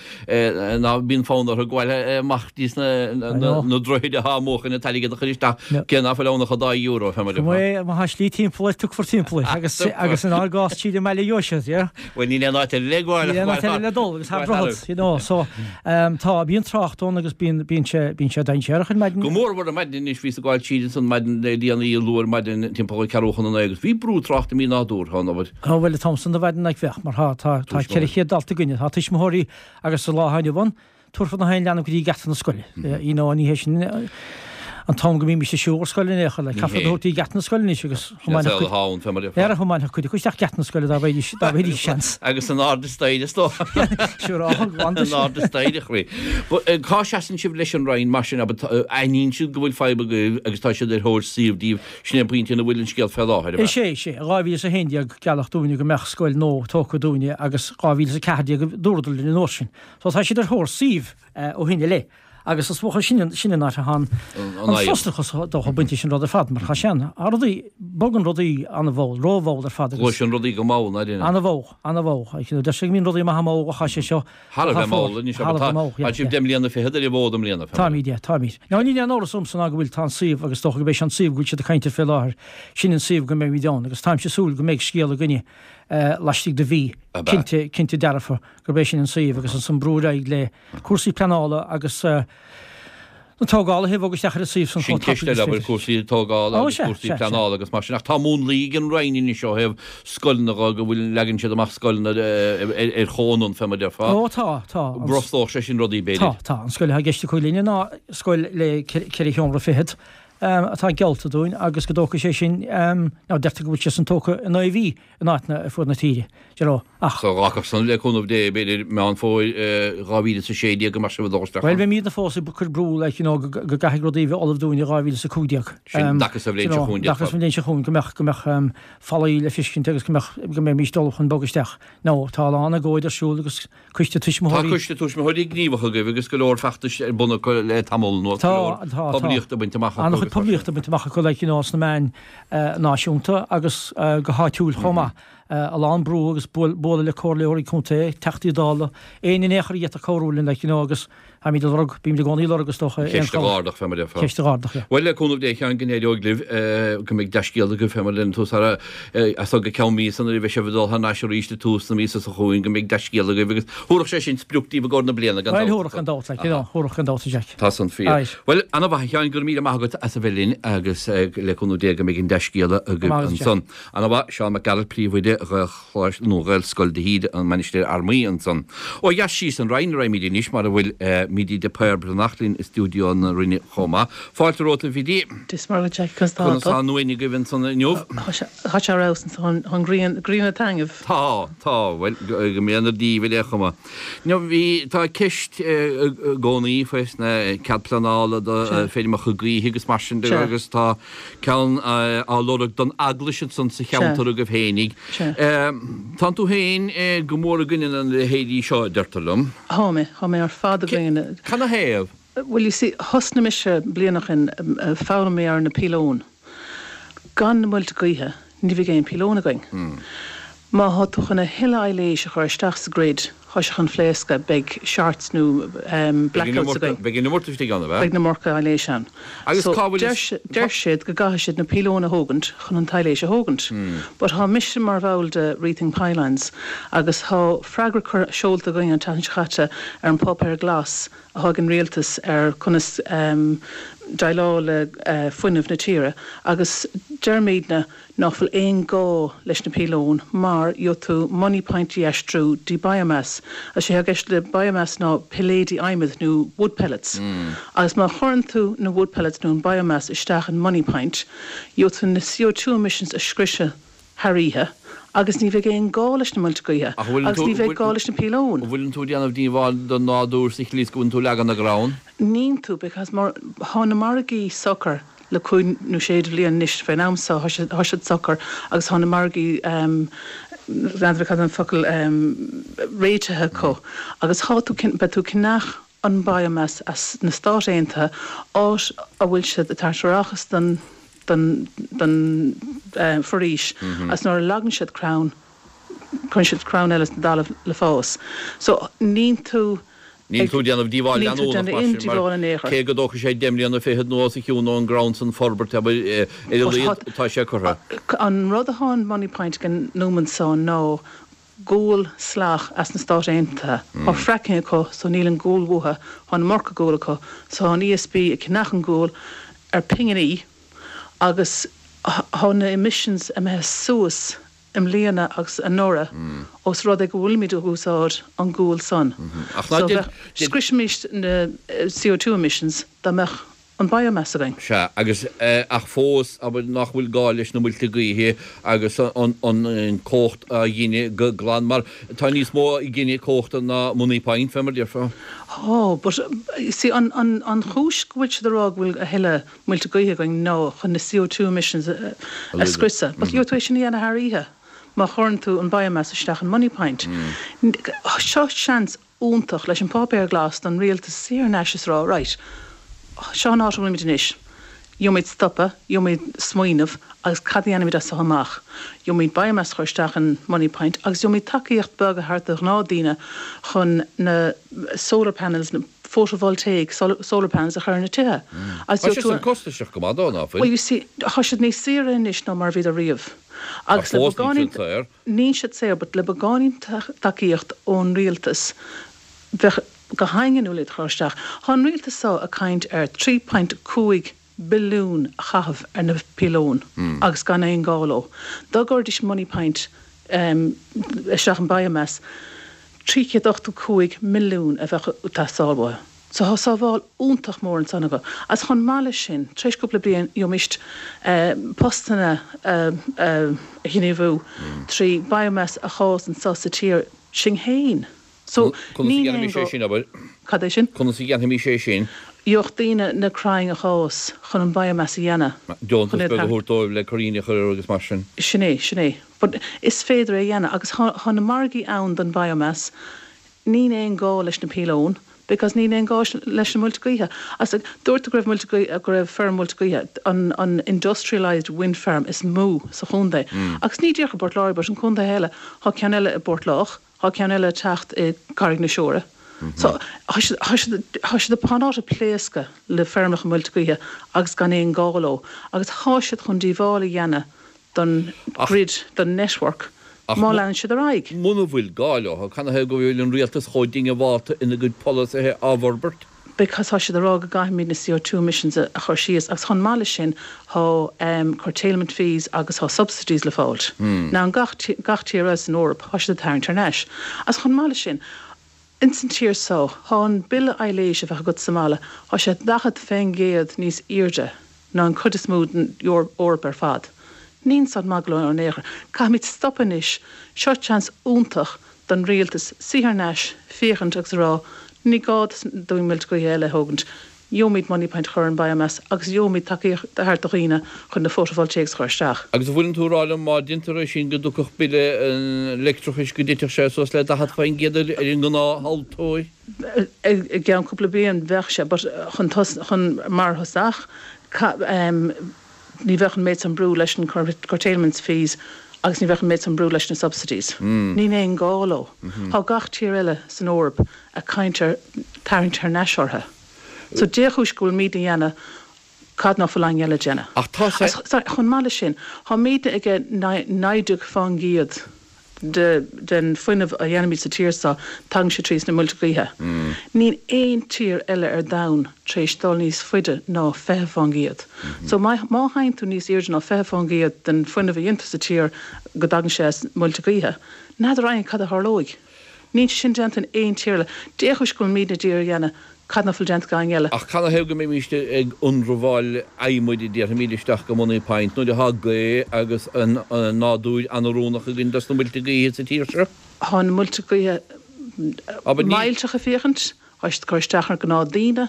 Speaker 1: ná bíonn fonn orthu gabháil amach dtí sna na droichid atá amuigh chun an t-airgead a chur isteach, cé ná fuil ann ach an dá euro, fé mar a
Speaker 6: déarfá. Má tá slí timpeall air, tiocfar timpeall air agus agus inár gcás tríd an mbaile a gheobhaidh siad, yeah.
Speaker 1: Bhuel níl aon áit eile le gabháil
Speaker 6: Níl aon áit eile le dul agus thar droichead, you know, so tá, bíonn trácht ann agus bíonn, bíonn sé, bíonn sé dainséarach ar
Speaker 1: maidin. Go mór mhór ar maidin anois, bhíos ag gabháil tríd ansan maidin le déanaí, luath ar maidin timpeall an ceathrú chun a naoi agus bhí brú tráchta mí-nádúrtha ann, abair.
Speaker 6: Á bhuel an t-am san de mhaidin like bheadh, mar tá, tá, tá 400 dalta againne, tá tuismitheoirí agus sa lá atá inniu ann, Tabharfar na haon leanbh go dtí geata na scoile. You know, ní hé sin an t-am go mbímis ag siúl ar scoil in aon chor. Like, caithfear iad a thabhairt go dtí geata na scoile anois agus thiománfadh cuid acu isteach geata na scoile dá bhfaighidís dá bhfaighidís seans.
Speaker 1: Agus in airde staighre is dócha.
Speaker 6: Siúrálta glan
Speaker 1: In airde staighre, a chroí. Cá seasann sibh leis an Roinn mar sin, abair, aithníonn siad go bhfuil fadhb agaibh agus tá siad ar thóir suíomh daoibh, sin é an pointe ina bhfuil an scéal fé láthair,
Speaker 6: ab ea? Is ea, is ea. In 2011 gealladh dúinne go mbeadh scoil nua tógtha dúinne agus 2014 a dúradar linn an uair sin. So tá siad ar thóir suímh ó shin i leith agus is dócha sin sin an áit atá an frustrachas dócha bainte leis an rud ar fad mar tá sé an rudaí bogann rudaí an-mhall, rómhall ar fad
Speaker 1: agus. Gluaiseann rudaí go mall, ná
Speaker 6: déanann? An-mhall, an-mhall. Deir sé go mbíonn rudaí maithe mall ach tá sé seo
Speaker 1: Thar a bheith mall anois abair tá tá sibh deich mbliana fichead ar an bhfód i mbliana.
Speaker 6: Táimid, yeah, táimid. Now níl aon amhras ormsa ná go bhfuil tá an suíomh agus dócha go beidh sé an suíomh go bhfuil siad ag caint air fé láthair, sin an suíomh go mbeimid ann agus táimse ag súil go mbeidh scéal againne laistigh de mhí, cinnte, cinnte dearfa. gurb é sin an suíomh agus ansan brú ar aghaidh le cúrsaí pleanála agus na tógála a bhogadh isteach ar an suíomh san
Speaker 1: Sin chomh ceist tapaidh eile, is abair, féidir. cúrsaí tógála Ó, agus sea, cúrsaí sea, sea. pleanála agus mar sin. Ach tá múnlaí ag an Roinn anois ó thaobh scoileanna dho, go bhfuil, leagann siad amach scoileanna ar chomhionann, fé mar a déarfá.
Speaker 6: Ó, tá, tá.
Speaker 1: An. Brostódh sé sin rudaí,
Speaker 6: Tá, b'fhéidir. tá. An scoil atá i gceist acu linne ná scoil le ceithre sheomra fichead atá geallta dúinn agus go dtógfaidh sé sin, nó deirtear go bhfuil sé san tógtha i naoi mhí. in áiteanna ar fud na tíre, you know,
Speaker 1: ach. So ghlacfadh san le cúnamh Dé, b'fhéidir, Meán Fómhair 2016 go mbeadh sibh ag dul
Speaker 6: isteach Bhuel, ann. beimidne fós ag cur brú, like, you know, go gcaithfidh rudaí a bheith ullamh dúinn i
Speaker 1: 2015. Sin dtaca sa bhliain seo chugainn,
Speaker 6: déarfá. Dtaca sa bhliain seo chugainn, go mbeadh, go mbeadh fallaí le feiscint agus go mbeadh, go mbeimís ullamh chun bogadh isteach. Now, tá a lán agóid ar siúl agus coiste
Speaker 1: tuismitheoirí. Tá coiste tuismitheoirí gníomhach agaibh agus go leor feachtais ar bun acu le tamall anuas, go leor poiblíochta bainte amach
Speaker 6: acu. An-chuid poiblíochta bainte amach acu like you know sna meáin náisiúnta agus go háitiúil chomh maith. A lán brú agus bualadh le comhairleoirí contae, Teachtaí Dála, éinne in aon chor a d'fhéadfadh cabhrú linn like you know agus táimid ag lorg, bímid i gcónaí ag lorg is dócha aon
Speaker 1: Ceist a
Speaker 6: chabhair.
Speaker 1: dh'ardach fé mar a déarfá.
Speaker 6: Ceist a dh'ardach, yeah.
Speaker 1: Bhuel, le cúnamh Dé, a Sheáin, go n-éireoidh libh, go mbeidh dea-scéala agaibh fé mar a deireann tú sara, as seo go ceann míosa nuair a bheidh sibh ag dul thar n-ais arís ag tús na míosa seo chugainn, go mbeidh dea-scéala agaibh agus thabharfadh sé sin sprioc daoibh i gcomhair na bliana gan
Speaker 6: Bhuel,
Speaker 1: dabht.
Speaker 6: thabharfadh gan dabht, like, you know, thabharfadh gan dabht, a Jack.
Speaker 1: Tá san fíor.
Speaker 6: Aye.
Speaker 1: Bhuel, ana-mhaith a Sheáin, go raibh míle maith agat as a bheith linn agus le cúnamh Dé go mbeidh an dea-scéala agaibh
Speaker 6: Maith agat, Jack.
Speaker 1: ansan. Ana-mhaith, Seán Mac Gearailt, Príomhoide Ghaelcholáiste, nó Ghaelscoil de hÍde, an Mainistir Fhear Maí ansan. Ó dheas síos an Rinn a raghaimid anois, mar a bhfuil Mídí de Paor Breathnach linn i stiúideo na Rinne chomh maith. Fáilte romhat, a Bhidí.
Speaker 7: Dia is Muire dhuit, Jackie, conas tá
Speaker 1: Conas
Speaker 7: tú?
Speaker 1: tá an uain agaibh ansan inniu?
Speaker 7: Tá sé ar fheabhas ansan, tá an ghrian, grian ag taitneamh.
Speaker 1: Tá, tá, bhuel, go mbeannaí Dia daoibh ar aon chuma. Now bhí, tá ceist i gcónaí faoi sna cead pleanála do feirmeacha gaoithe agus mar sin de agus tá ceann á lorg don eaglais ansan sa cheantar agaibh fhéinig. Tánn tú féin go mór i gcoinne na leithéidí seo, a deirtear liom.
Speaker 7: Thá mé, thá mé ar fad i gcoinne.
Speaker 1: Canathaobh?
Speaker 7: Bhuel, you see, thosnaigh mise bliain ó shin ag foghlaim ar na píolóin. Gan na muilte gaoithe, ní bheidh aon píolóin againn. Má thá tú chun a thuilleadh aibhléis a chur isteach sa grid, thá sé chun phléascadh, beidh shorts nó blackouts againn.
Speaker 1: Beidh an iomarca istigh ann, ab ea?
Speaker 7: Beidh an iomarca aibhléis ann.
Speaker 1: Agus
Speaker 7: So,
Speaker 1: cá bhfuil
Speaker 7: deir deir siad go gcaithfidh siad na píolóin a thógaint chun an t-aibhléis a thógaint. But thá mise mar bhall de Rethink Pylons agus thá freagra cur seolta againn an tseachtain seo chaite ar an Páipéar Glas athá ag an rialtas ar conas déileáil le fuinneamh na tíre agus deirimidne nach bhfuil aon gá leis na píolóin mar gheobhaidh tú Moneypoint a aistriú dtí biomass. Is é atá i gceist le biomass ná pilléidí adhmaid nó wood pellets agus má chuireann tú na wood pellets nó an biomass isteach in Moneypoint gheobhaidh tú na CO2 emissions a scriosadh thar oíche agus ní bheidh aon gá leis na muilte gaoithe agus ní bheidh gá leis na píolóin.
Speaker 1: An bhfuileann tú ag déanamh díobháil don nádúr sa tslí is go bhfuileann tú ag leagan na gcrann?
Speaker 7: Níonn tú because mar thá na margaí socair le cúig nó sé de bhliain anois fén am so thá siad thá siad socair agus thá na margaí n'fheadar cad an focal réitithe acu agus thá tú beidh tú ag ceannach an biomass as na Stáit Aontaithe áit a bhfuil siad ag tabhairt árachas don don don foraois agus nuair a leagann siad crann cuireann siad crann eile sa dtalamh le fás. So níonn tú
Speaker 1: Níl tú ag déanamh díobháil
Speaker 7: Níl tú ag
Speaker 1: leanúnach
Speaker 7: déanamh
Speaker 1: mar
Speaker 7: aon
Speaker 1: sin mar
Speaker 7: díobháil in aon chor.
Speaker 1: cé go dtógfaidh sé deich mbliana fichead nó os a chionn ón gcrann san forbairt abair ar a laghad tá sé curtha.
Speaker 7: An rud athá in Moneypoint ag an nóimeant so ná gual salach as na Stáit Aontaithe. Thá fracking acu so níl an gual uathu, thá an iomarca gual acu so thá an ESB ag ceannach an gual ar pinginí agus thá na emissions imithe suas i mbliana agus anuraidh ós rud é go bhfuilimid ag úsáid an gual san. So bheadh, scriosfaimis na CO2 emissions dá mbeadh an biomass againn.
Speaker 1: Sea, agus, ach fós, abair, nach bhfuil gá leis na muilte gaoithe agus an cumhacht á ghineadh go glan, mar tá níos mó ag gineadh cumhachta ná Moneypoint, fé mar a déarfá.
Speaker 7: Tá, but, you see, an, an, an chúis go bhfuil siad ag rá go bhfuil a thuilleadh muilte gaoithe againn ná chun na CO2 emissions a scriosadh. But gheobhaidh tú é sin a dhéanamh thar oíche má chuireann tú an biomass isteach in Moneypoint. Seo seans iontach leis an Páipéar Glas don rialtas suí thar n-ais is rá right, seo an áit a bhfuilimid anois, gheobhaimid stopadh, gheobhaimid smaoineamh agus cad a dhéanfaimid as seo amach? Gheobhaimid biomass a chur isteach in Moneypoint agus gheobhaimid tacaíocht beag a thabhairt do ghnáthdaoine chun na solar panels, na photovoltaic solar panels a chur ar na tithe.
Speaker 1: Agus Tá siad san costasach go maith dó, ná fuil?
Speaker 7: Well you see, tá siad níos saoire anois ná mar a bhíodar riamh.
Speaker 1: Ach
Speaker 7: Agus le
Speaker 1: fós níl
Speaker 7: beagáinín
Speaker 1: siad saor.
Speaker 7: Níl siad saor, but le beagáinín tacaíocht ón rialtas, bheadh go haingeanúil iad a chur isteach. Thá an rialtas so ag caint ar 3.5 billiún a chaitheamh ar na píolóin agus gan aon gá leo. Dá gcuirdís Moneypoint isteach in biomass, 385 milliún a bheadh ag teastáil uathu. So thá sábháil iontach mór ansan acu. Agus chomh maith leis sin, tar éis cúpla bliain, gheobhaimist postanna a ghníomhú trí biomass a dh'fhás anso sa tír sinn fhéin. So,
Speaker 1: Conas a
Speaker 7: níl aon
Speaker 1: dhéanfaimis é
Speaker 7: gá.
Speaker 1: sin, abair?
Speaker 7: Cad é sin?
Speaker 1: Conas a dhéanfaimis é sin?
Speaker 7: Gheobhadh daoine na crainn a dh'fhás chun an biomass a dhéanamh.
Speaker 1: Deontas
Speaker 7: Chun iad
Speaker 1: beag a
Speaker 7: a.
Speaker 1: thabhairt dóibh le crainn a chur air agus mar sin.
Speaker 7: Sin é, sin é. But is féidir é a dhéanamh agus thá na margaí ann don biomass. Níl aon gá leis na píolóin. Because níl aon gá leis na muilte gaoithe. Agus dúirt tú go raibh muilte gaoithe, go raibh feirm muilte gaoithe, an an industrialised wind farm is mó sa chontae. Agus ní díreach i bPort Láirge but an contaetha eile, thá ceann eile i bPort Lách, thá ceann eile ag teacht i gCarraig na Siúire. So thá siad, thá siad, thá siad thá an áit ag pléascadh le feirmeacha muilte gaoithe agus gan aon gá leo. Agus thá siad chun díobháil a dhéanamh don grid, don network, má leanann siad ar aghaidh.
Speaker 1: Muna bhfuil gá leo, canathaobh go bhfuil an rialtas chomh diongbhálta ina gcuid polasaithe á bhforbairt?
Speaker 7: Because tá siad ag rá go gcaithfimid na CO2 emissions a chur síos agus chomh maith leis sin tá curtailment fees agus tá subsidies le fáilt. Now in gach gach tír eile san Eoraip tá siad ag tarraingt thar n-ais. Agus chomh maith leis sin, Ins an tír so, thá an bille aibhléise a bheadh agat sa mbaile, thá sé 40% níos aoirde ná an cuid is mó den Eoraip ar fad. Níl san maith go leor in aon chor. Caithfimid stopadh anois. Seo seans iontach don rialtas suí thar n-ais, féachaint agus a rá, ní gá dúinn muilte gaoithe eile a thógaint. Gheobhaimid Moneypoint a chur ar an biomass agus gheobhaimid tacaíocht a thabhairt do dhaoine chun na photovoltaics a chur isteach.
Speaker 1: Agus an bhfuileann tú ag rá liom má deintear é sin go dtiocfadh bille an leictreachais go dtitfeadh sé suas le 40% ar an ngnáth-thomhaltóir?
Speaker 7: I gceann cúpla bliain bheadh sé but chun chun mar thosach ní bheadh an méid san brú leis an curtailments fees agus ní bheadh an méid san brú leis na subsidies. Níl aon gá leo. Tá gach tír eile san Eoraip ag caint ar tarraingt thar n-ais orthu. So dé chúis go bhfuil mídne a dhéanamh cad ná fuil éinne eile a déanamh.
Speaker 1: Ach tá sé.
Speaker 7: Sorry, chomh maith leis sin, thá mídne ag 19 fán gcéad de den fuinneamh a dhéanaimid sa tír so, tagann sé trí sna muilte gaoithe. Níl aon tír eile ar domhan tar éis dul níos faide ná 20 fán gcéad. So má má théann tú níos airde ná 20 fán gcéad den fuinneamh a dhéantar sa tír go dtagann sé as muilte gaoithe, n'fheadar éinne cad a tharlóidh. Níl sé sin déanta in aon tír eile. Dé chúis go bhfuil mídne d'iarraidh a dhéanamh cad ná fuil déanta ag éinne eile.
Speaker 1: Ach canathaobh go mbeimíst ag ionramháil adhmaid a déarfaimíd isteach go Moneypoint nuair atá gaoth agus an nádúr an-oiriúnach againn dos na muilte gaoithe sa tír seo?
Speaker 7: Thá na muilte gaoithe millteach ag féachaint. Thá siad ag cur isteach ar gnáth daoine.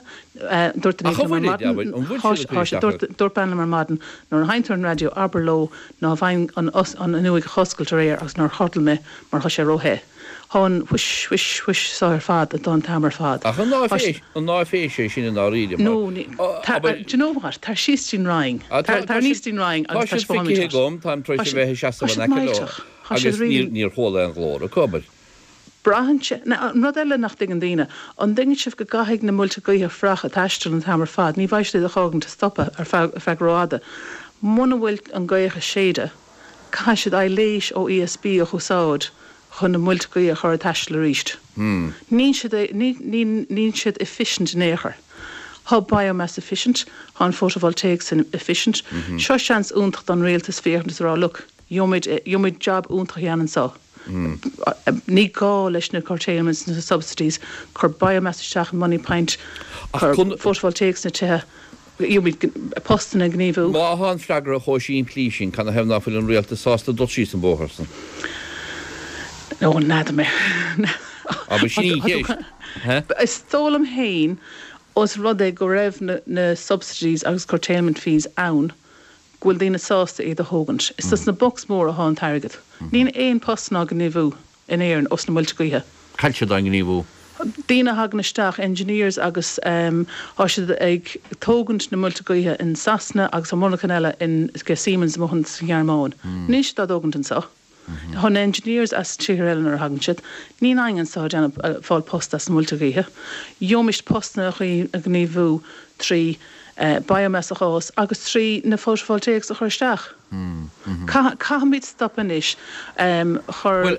Speaker 7: Dúirt duine
Speaker 1: Ach an
Speaker 7: liom ar
Speaker 1: bhfuil, abair,
Speaker 7: maidin,
Speaker 1: an bhfuil
Speaker 7: thá
Speaker 1: siad ag cur
Speaker 7: siad,
Speaker 1: isteach
Speaker 7: dúirt,
Speaker 1: ar.
Speaker 7: dúirt bean liom ar maidin, nuair a sheinneann tú ar an raidió, abair leo ná bheinn an, an fhuinneoig a dh'oscailt aréir agus nár chodail mé mar thá sé ró-the. Thá an whish, whish, whish so ar fad an t-am ar fad.
Speaker 1: Ach an
Speaker 7: Thá siad.
Speaker 1: áiféis, an áiféis é sin i ndáiríre mar,
Speaker 7: No, ní, tar,
Speaker 1: abair.
Speaker 7: do you know what, tar síos dtí'n Rinn,
Speaker 1: Tá,
Speaker 7: tar,
Speaker 1: tá
Speaker 7: tar aníos
Speaker 1: siad,
Speaker 7: dtí'n Rinn
Speaker 1: tá
Speaker 7: agus
Speaker 1: siad
Speaker 7: taispeánfaimid
Speaker 1: feicthe
Speaker 7: duit.
Speaker 1: agam, táim tar
Speaker 7: Thá
Speaker 1: éis a
Speaker 7: siad,
Speaker 1: bheith ag
Speaker 7: thá
Speaker 1: seasamh in
Speaker 7: siad
Speaker 1: aice leo
Speaker 7: millteach. Thá siad
Speaker 1: agus níor,
Speaker 7: really.
Speaker 1: níor chuala aon ghlór acu, abair.
Speaker 7: Braitheann sé. Now, an rud eile nach dtuigeann daoine, an dtuigeann sibh go gcaithfidh na muilte gaoithe fuireach ag taisteal an t-am ar fad, ní bheidh siad iad a fhágaint ag stopadh ar feadh, ar feadh rófhada. Muna bhfuil an gaoth ag séideadh, caithfidh siad aibhléis ó ESB a dh'úsáid chun na muilte gaoithe a chur ag taisteal arís. Níl siad, ní, ní, níl siad efficient in aon chor. Thá biomass efficient, thá an photovoltaics efficient. Seo seans iontach don rialtas féachaint is a rá, look, gheobhaimid, gheobhaimid job iontach a dhéanamh anso. Ní gá leis na curtailments, na subsidies, cuir biomass isteach in Moneypoint, cuir photovoltaics sna tithe, gheobhaimid postanna ag gníomhú.
Speaker 1: Má thá an freagra chomh simplí sin, canathaobh ná fuil an rialtas sásta dul síos an bóthar san?
Speaker 7: Ó, n'fheadar mé.
Speaker 1: Abair, sin í an cheist.
Speaker 7: Is dóigh liom féin, os rud é go raibh na subsidies agus curtailment fees ann, go bhfuil daoine sásta iad a thógaint. Is dos na bucks móra athá an t-airgead. Níl aon postanna á ngníomhú in Éirinn ós na muilte gaoithe.
Speaker 1: Cad siad á ngníomhú?
Speaker 7: Daoine a thagann isteach, engineers agus thá siad ag tógaint na muilte gaoithe in Sasana agus tá monarchan eile in Siemens amuigh sa Ghearmáin. Níl siad á dtógaint anso. Thá na engineers as tíortha eile nuair a thagann siad, níl éinne anso ag déanamh, ag fáil post as na muilte gaoithe. Gheobhaimis postanna a ghníomhú trí biomass a dh'fhás agus trí na photovoltaics a chur isteach. Caithfimid stop anois. Chuir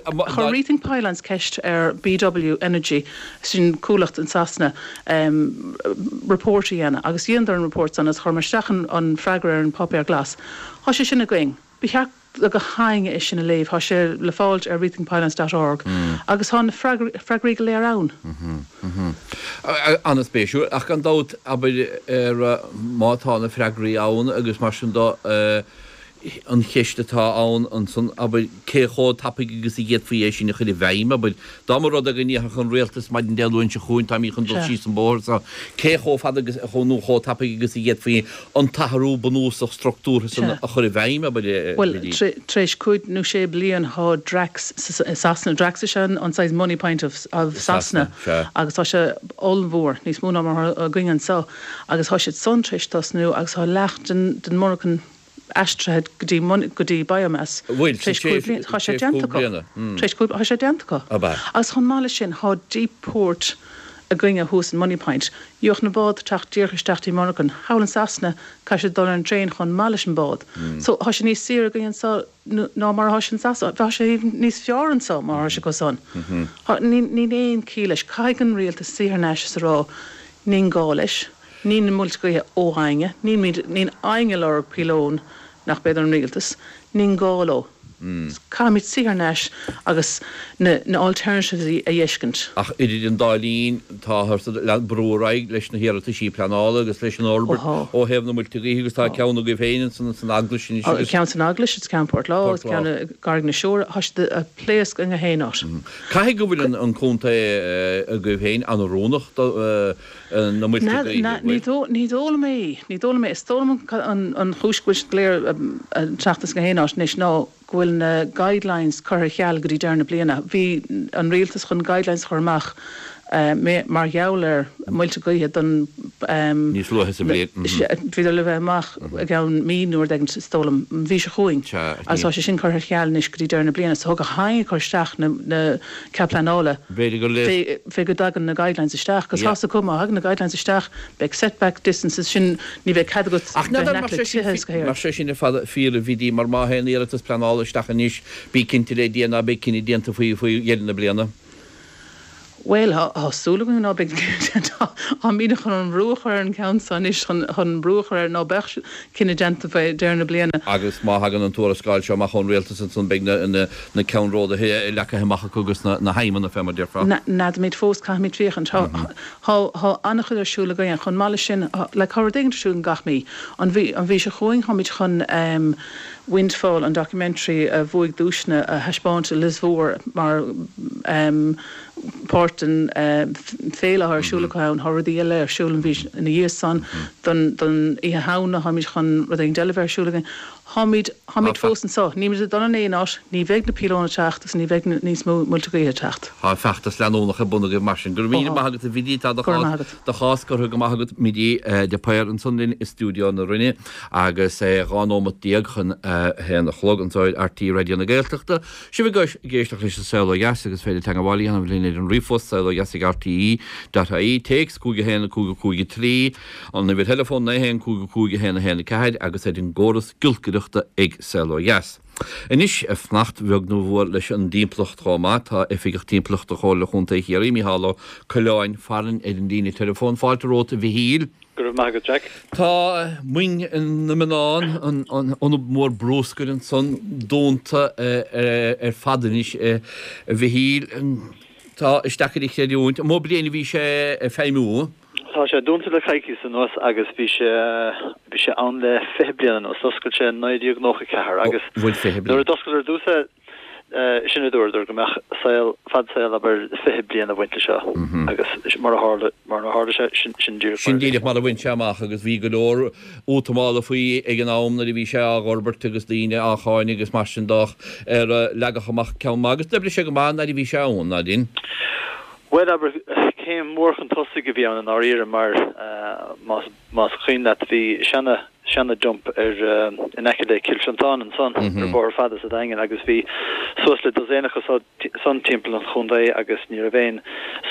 Speaker 7: Rethink Pylons ceist ar BW Energy, sin comhlacht in Sasana, report a dhéanamh agus dheineadar an report san agus chuireamar isteach an freagra ar an páipéar glas. Thá sé sin againn. Ba cheart do gach éinne é sin a léamh. Tá sé le fáilt ar rethinkpylons dot org agus tá na freagraí go léir ann.
Speaker 1: An-spéisiúil, ach gan dabht, abair, ar má tá na freagraí ann agus mar sin do. An cheist atá ann ansan, abair, cé chomh tapaidh agus a d'fhéadfaí é sin a chur i bhfeidhm, abair, dá mba rud é go ndéarfadh an rialtas maidin Dé Luain seo chugainn, táimid chun dul síos an bóthar so, cé chomh fada agus, nó chomh tapaidh agus a d'fhéadfaí an t-athrú bunúsach structúrtha san a chur i bhfeidhm, abair, a
Speaker 7: Bhuel, tar éis cúig nó sé bliain thá Drax i Sasana, Drax is ea an saghas Moneypoint of Sasana agus tá sé ollmhór, níos mó ná mar atá againn anso, agus thá siad san tar éis tosnú agus thá leath den monarchan aistrithe go dtí go dtí biomass
Speaker 1: Bhfuil,
Speaker 7: tar éis cúig bliana. Tá sé déanta acu. Tar éis cúig, tá sé déanta acu.
Speaker 1: Ab ea?
Speaker 7: Agus chomh maith leis sin, thá deep port againne thuas in Moneypoint. Gheobhadh na bád teacht díreach isteach dtí monarchan. Thall in Sasana, caithfidh siad dul ar an traein chomh maith leis an bád. So, thá sé níos saoire againn anso ná mar athá sé in Sasana. Bheadh sé even níos fearr anso mar athá sé acu san. Thá, níl, níl aon chiall leis. Caithfidh an rialtas suí thar n-ais is a rá, níl gá leis. Níl na muilte gaoithe ó éinne, níl níl éinne ag lorg píolón nach b'fhéidir an rialtas, níl gá leo. Caithfimid suí thar n-ais agus na na alternatives a fheiscint.
Speaker 1: Ach idir an dá linn, táthar ag brú ar aghaidh leis na hiarrataisí pleanála agus leis an fhorbairt ó thaobh na muilte gaoithe agus tá ceann agaibh féin ansan san Eaglais anois
Speaker 7: agus. Ceann san Eaglais, is ceann Port Lá, is ceann i gCarraig na Siúire, tá siad ag pléascadh i ngach aon áit.
Speaker 1: Caithfidh go bhfuil an contae agaibh féin an-oiriúnach do na muilte gaoithe, an
Speaker 7: bhfuil? Ní dóigh liom é. Ní dóigh liom é. Is dóigh liom an chúis go bhfuil siad go léir ag teacht as gach aon áit anois ná go bhfuil na guidelines curtha ar ceal go dtí deireadh na bliana. Bhí an rialtas chun guidelines a chur amach mar gheall ar muilte gaoithe don.
Speaker 1: Níos luaithe sa bhliain.
Speaker 7: Bhíodar le bheith amach i gceann mí nó rud éigin is dóigh liom, an mhí seo chugainn. Agus tá sé sin curtha ar ceal anois go dtí deireadh na bliana. So tá gach éinne ag cur isteach na cead pleanála.
Speaker 1: B'fhéidir gur
Speaker 7: le. Fé go dtagann na guidelines isteach, 'cause tá's acu má thagann na guidelines isteach, beidh setback distances, sin, ní bheidh cead agat
Speaker 1: Ach
Speaker 7: bheith in
Speaker 1: n'fheadar
Speaker 7: aice le tithe is go
Speaker 1: mar sé sin ar fad fíor a Bhidí, mar má théann iarratas pleanála isteach anois, bí cinnte le Dia ná beidh cinneadh déanta faoi faoi dheireadh na bliana.
Speaker 7: Bhuel, tá súil againn ná beidh cinneadh déanta. Táimid chun an brú a chur ar an gceann seo anois, chun brú a chur air ná beadh cinneadh déanta fé dheireadh na bliana.
Speaker 1: Agus má thagann an tuarascáil seo amach ón rialtas ansan beidh na ceannródaithe leagtha amach acu agus na haidhmeanna fé mar déarfá.
Speaker 7: N'fheadaimid fós, caithfimid féachaint. Tá an-chuid ar siúl againn. Chomh maith leis sin, like, tá rud éigin ar siúl againn gach mí. An mhí, an mhí seo chugainn táimid chun Windfall, an documentary a bhuaigh duaiseanna, a thaispeáint i Lios Mhór mar páirt den féile atá ar siúl acu ann. Tá rudaí eile ar siúl an mhí ina dhiaidh san. Don Oíche Shamhna táimid chun rud éigin eile a bheith ar siúl againn. Táimid, táimid fós anso. Nílimid ag dul in aon áit. Ní bheidh na píolóin ag teacht agus ní bheidh níos mó muilte gaoithe ag teacht.
Speaker 1: Tá feachtas leanúnach ar bun agaibh mar sin. Go raibh míle maith agat a Bhidí. Tá do chás, do chás curtha go maith agat Bidí de Paor ansan linn i stiúideo na Rinne. Agus é 12 nóimeat chun a haon a chlog anseo ar RTÉ Raidió na Gaeltachta. Sibh ag éisteacht leis an Saol Ó Dheas agus is féidir teagmháil a dhéanamh linn ar an ríomhphost, saolodheas ag rte dot ie, téacs 5 1 5 5 3, an uimhir theileafóin 9 1 5 5 1 1 4 agus ar an gcóras giolcaireachta ag Saol Ó Dheas. Anois, fanacht bheag nó mhór leis an dtimpeallacht chomh maith, tá Oifigeach Timpeallachta Chomhairle Chontae Chiarraí, Micheál Ó Coileáin farainn ar an líne teileafóin. Fáilte romhat a Mhichíl.
Speaker 8: Go raibh maith agat, Jack.
Speaker 1: Tá Moing na Mionnán, an t-ionad mór brúscair ansan, dúnta ar fad anois, a Mhichíl. Tá, is deacair a chreidiúint. An mó bliain a bhí sé ag feidhmiú?
Speaker 8: Tá sé dúnta le coicíos anuas agus bhí sé, bhí sé ann le 20 bliain anuas. D'oscail sé in 1994 agus nuair a d'oscail ar dtús é, Sin a dúradar, go mbeadh saol, fad saol, abair, 20 bliain ag baint leis seo agus mar a tharla, mar a tharla sé, sin, sin díreach mar a
Speaker 1: bhí. Sin díreach mar a bhain sé amach agus bhí go leor útamála faoi ag an am nuair a bhí sé á fhorbairt agus daoine á cháineadh agus mar sin de ach ar leagadh amach ceann maith agus d'oibrigh sé go maith an fhaid a bhí sé ann, ná dhin?
Speaker 8: Bhuel, abair, céim mhór chun tosaigh a bhí ann i ndáiríre mar más, Más cuimhin leat bhí seana, seana dump ar, in aice le Cill Fiontáin ansan, ar an Bhóthar Fada sa Daingean agus bhí suas le dosaen acu san timpeall an chontae agus ní raibh aon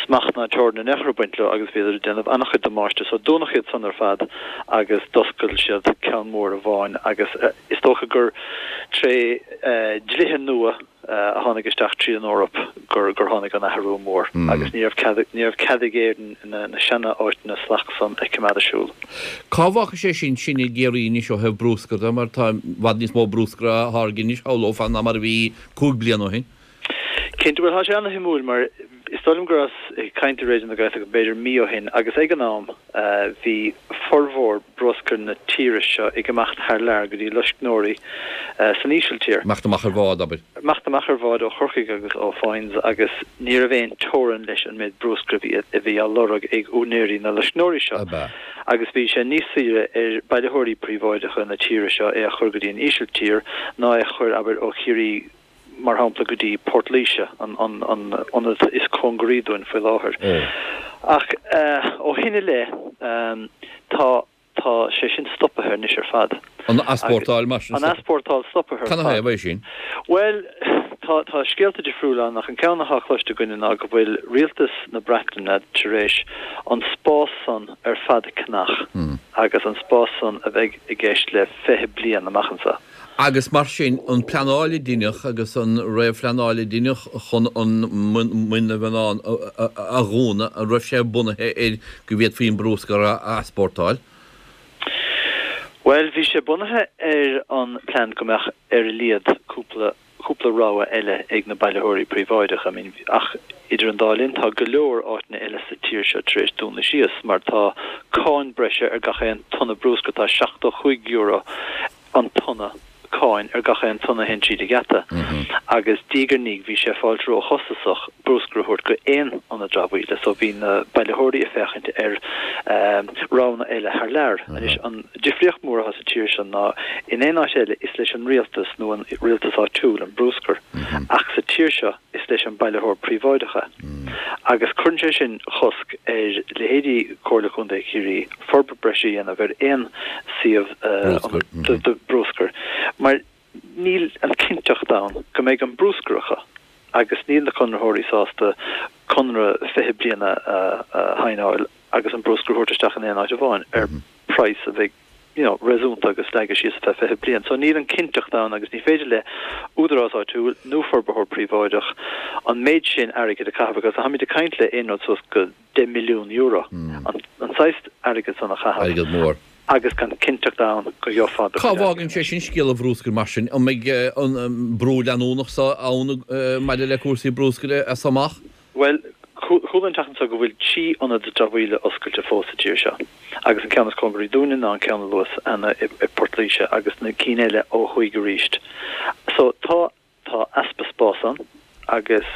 Speaker 8: smacht ná teorainn in aon chor ag baint leo agus bhíodar ag déanamh an-chuid damáiste so dúnadh iad san ar fad agus d'oscail siad ceann mór amháin agus is dócha gur tré dlíthe nua a tháinig isteach tríd an Eoraip gur gur tháinig an athrú mór agus ní raibh cead ní raibh cead ag Éirinn na na seana áiteanna salach san a choimeád ar siúl.
Speaker 1: Cá bhfágfaidh sé sin sinn i gCiarraí anois ó thaobh brúscair de mar tá i bhfad níos mó brúscair á tháirgeadh anois, shamhlófá, ná mar a bhí 5 bliana ó shin.
Speaker 8: Cinnte, bhuel tá sé ana-shuimiúil mar. Is dóigh liom go rabhas ag caint i Raidió na Gaeltachta b'fhéidir mí ó shin agus ag an am bhí formhór bruscair na tíre seo ag imeacht thar lear go dtí loiscneoirí san Ísiltír.
Speaker 1: Imeacht amach ar bhád, abair.
Speaker 8: Imeacht amach ar bhád ó Chorcaigh agus ó Foynes agus ní raibh aon teorainn leis an méid bruscair a bhí á lorg ag úinéirí na loiscneoirí seo agus bhí sé níos saoire ar bailitheoirí príobháideacha na tíre seo é a chur go dtí an Ísiltír ná é a chur, abair, ó Chiarraí mar shampla, go dtí Port Laoise, an ionad is cóngaraí dúinn faoi láthair. Ach ó shin i leith, tá tá sé sin stopaithe anois ar fad.
Speaker 1: An easpórtáil mar
Speaker 8: sin? An easpórtáil stopaithe ar
Speaker 1: fad. Canathaobh é sin?
Speaker 8: Bhuel, tá tá scéalta difriúla ann ach an ceann atá cloiste againne ná go bhfuil rialtas na Breataine tar éis an spás san ar fad a cheannach agus an spás san a bheidh i gceist le 20 bliain amach anseo.
Speaker 1: Agus mar sin, an pleanáil a deineadh agus an réamhphleanáil a deineadh chun an Muin na Mionán a dhúnadh, an raibh sé bunaithe ar go bhféadfaí an brúscar a easpórtáil?
Speaker 8: Bhuel, bhí sé bunaithe ar an plean go mbeadh ar a laghad cúpla cúpla rogha eile ag na bailitheoirí príobháideacha. I mean, ach idir an dá linn tá go leor áiteanna eile sa tír seo tar éis dúnadh síos mar tá cáin breise ar gach aon tonna brúscair, tá €75 an tonna cáin ar gach aon tonna a théann tríd an gheata agus diaidh ar ndiaidh bhí sé ag fáilt róchostasach brúscar a thabhairt go aon ionad dramhaíola so bhí na bailitheoirí ag féachaint ar roghanna eile thar lear. Anois an difríocht mhór atá sa tír seo ná in aon áit eile is leis an rialtas nó an rialtas áitiúil an brúscar ach sa tír seo is leis an bailitheoir príobháideach é. Agus cuireann sé sin cosc ar leithéidí Comhairle Contae Chiarraí forbairt breise a dhéanamh ar aon suíomh do brúscar mar níl an cinnteacht ann go mbeidh an brúscar acu agus níl na conraitheoirí sásta conradh 20 bliana a shaighneáil agus an brúscar a thabhairt isteach in aon áit amháin ar praghas a bheidh you know, réasúnta agus leagtha síos ar feadh 20 bliain. So níl an cinnteacht ann agus ní féidir le údarás áitiúil nó forbarthóir príobháideach an méid sin airgid a chaitheamh agus táimid ag caint le aon rud suas go €10 milliún, an saghas airgid san a chaitheamh.
Speaker 1: Airgead mór.
Speaker 8: Agus gan cinnteacht ann go gheofá
Speaker 1: do Cá bhfágann sé sin scéal an bhrúscair mar sin? An mbeidh an brú leanúnach so ann maidir le cúrsaí brúscair as so amach?
Speaker 8: Bhuel, chuala an tseachtain seo go bhfuil 3 ionad dramhaíola oscailte fós sa tír seo agus an ceann is cóngaraí dúinne ná an ceann a luas cheana i bPort Laoise agus na cinn eile ó thuaidh arís. So tá tá easpa spás ann agus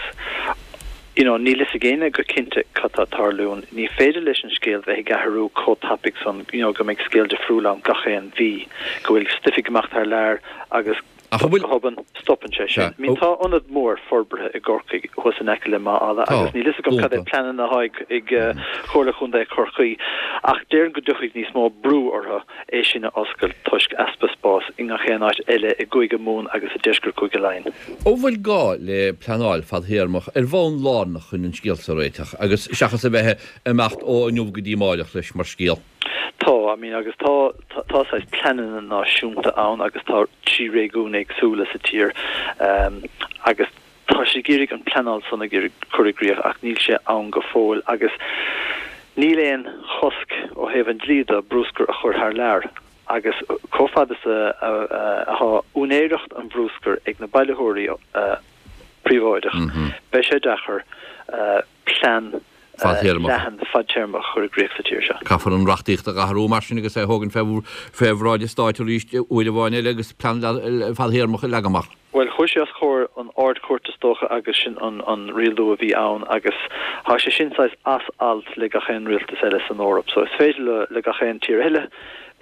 Speaker 8: you know níl fhios ag éinne go cinnte cad tá ag tarlú. Ní féidir leis an scéal bheith ag athrú chomh tapaidh san you know go mbeidh scéal difriúil ann gach aon mhí, go bhfuil stuif ag imeacht thar lear agus
Speaker 1: Ach an bhfuil.
Speaker 8: Go hobann, stopann sé sin. I mean, tá ionad mór forbartha i gCorcaigh thuas in aice le Maigh Eala agus níl fhios agam cad é pleananna atá ag Comhairle Chontae Chorcaí ach déarfainn go dtiocfaidh níos mó brú orthu é sin a oscailt toisc easpa spáis i ngach aon áit eile i gCúige Mumhan agus i deisceart Chúige Laighean.
Speaker 1: An bhfuil gá le pleanáil fadthéarmach ar bhonn lárnach chun an scéal seo a réiteach agus seachas a bheith ag imeacht ó inniu go dtí amáireach leis mar scéal?
Speaker 8: Tá, I mean, agus tá, tá saghas pleananna náisiúnta ann agus tá 3 réigiún éagsúla sa tír agus tá siad ag iarraidh an pleanáil san ag iarraidh cur i gcrích ach níl sé ann go fóill agus níl aon chosc ó thaobh an dlí de brúscar a chur thar lear agus chomh fada is atá úinéireacht an bhrúscair ag na bailitheoirí príobháideach beidh sé deacair plean leathan fadtéarmach a chur i gcrích sa tír seo.
Speaker 1: Caithfear an reachtaíocht a athrú mar sin agus é a thógaint fé bhráid an stáit arís uair amháin eile agus plean fadthéarmach a leagan amach.
Speaker 8: Bhuel, chuaigh sé os comhair an Ard-Chúirt is dócha agus sin an rialú a bhí ann agus tá sé sin saghas as alt le gach aon rialtas eile san Eoraip. So is féidir le gach aon tír eile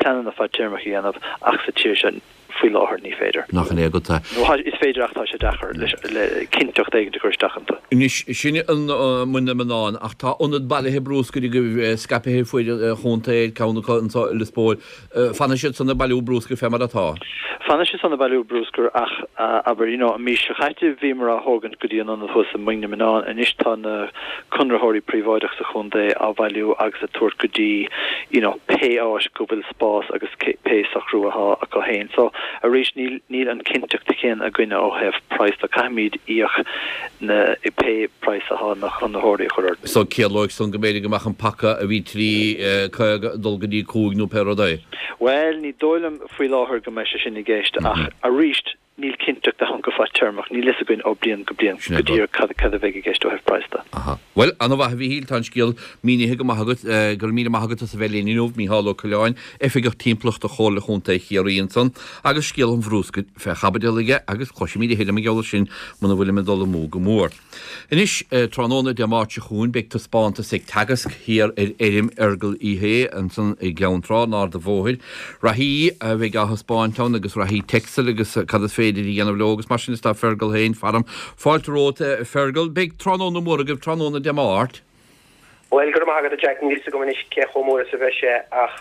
Speaker 8: pleananna fadtéarmacha a dhéanamh ach sa tír seo, Faoi láthair ní féidir.
Speaker 1: Nach in é agat
Speaker 8: é. Nó is féidir ach tá sé deacair le cinnteacht éigin a chur isteach iontu.
Speaker 1: Anois, sin an Muin na Mionnán, ach tá ionad bailithe brúscair agaibh scaipthe ar fuaid an chontae, ceann acu anseo i Lios Póil. Fanfaidh siad san ag bailiú brúscair fé mar atá?
Speaker 8: Fanfaidh siad san ag bailiú brúscair ach, abair, you know, an mhí seo chaite bhíomar á thógaint go dtí an ionad thuas i Muing na Mionnán, anois tá na conraitheoirí príobháideach sa chontae á bhailiú agus ag tabhairt go dtí, you know, pé áit go bhfuil spás agus pé socrú athá acu féin. So, arís, níl, níl an cinnteacht chéanna againne ó thaobh praghas de. Caithfimid íoc na, pé praghas athá na conraitheoirí a chur orainn.
Speaker 1: So, ciallóidh san go mb'fhéidir go mbeadh an paca a bhí 3.50 ag dul go dtí 5 nó pé rud é?
Speaker 8: Bhuel, ní dóigh liom faoi láthair go mbeidh sé sin i gceist ach arís. Níl cinnteacht ann go fadtéarmach, níl fhios againn ó bliain go bliain
Speaker 1: Sin é
Speaker 8: go
Speaker 1: rud.
Speaker 8: díreach cad cad a bheidh i gceist ó thaobh praghas de.
Speaker 1: Aha. Bhuel, an-mhaith a Mhíchíl, tá an scéal mínithe go maith agat. Go raibh míle maith agat as a bheith linn inniu, Mícheál Ó Coileáin, Oifigeach Timpeallachta Chomhairle Chontae Chiarraí ansan, agus scéal an bhrúscair fé chaibidil aige, agus cloisfimid a thuilleadh mar gheall air sin muna bhfuilim ag dul amú go mór. Anois, tráthnóna Dé Máirt seo chugainn, beidh taispeántas ag Teagasc thiar ar fheirm Fheargal Uí Shé ansan i gCeann Trá, in Ard an Bhóthair. Reathaí a bheidh á thaispeáint ann agus reathaí Texel agus cad is féidir a dhéanamh leo agus mar sin is tá Fergal féin faram. Fáilte romhat, a Fergal. Beidh tráthnóna mór agaibh tráthnóna Dé Máirt.
Speaker 9: Bhuel, go raibh maith agat, a Jack. Níl fhios agam anois cé chomh mór is a bheidh sé ach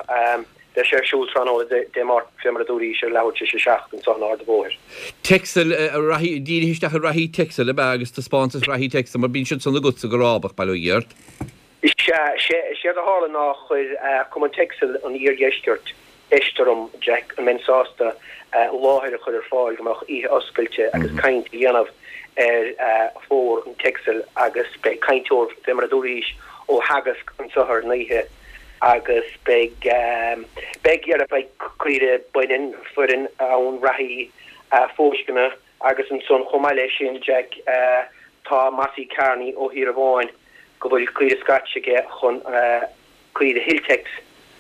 Speaker 9: beidh sé ar siúl tráthnóna Dé Máirt, fé mar a dúraís, ar leathuair tar éis a 7 anseo in Ard an Bhóthair.
Speaker 1: Texel, reathaí, dírithe isteach ar reathaí Texel, ab ea, agus taispeántas reathaí Texel, mar bíonn siad san agatsa go rábach, bail ó Dhia ort.
Speaker 9: Sea, séard a tharla ná chuir Cumann Texel an Iardheiscirt ceist orm, Jack, an mbeinn sásta láthair a chur ar fáil go mbeadh oíche oscailte agus caint a dhéanamh ar phór an Texel agus beidh cainteoir, fé mar a dúraís, ó Theagasc anseo ar an oíche agus beidh, beidh, beidh caoire baineann, fireann ann, reathaí, fóisceana agus ansan chomh maith leis sin, Jack, tá Mossie Kearney ó Thír Amháin go bhfuil caoire Scotch aige chun caoire Hilltex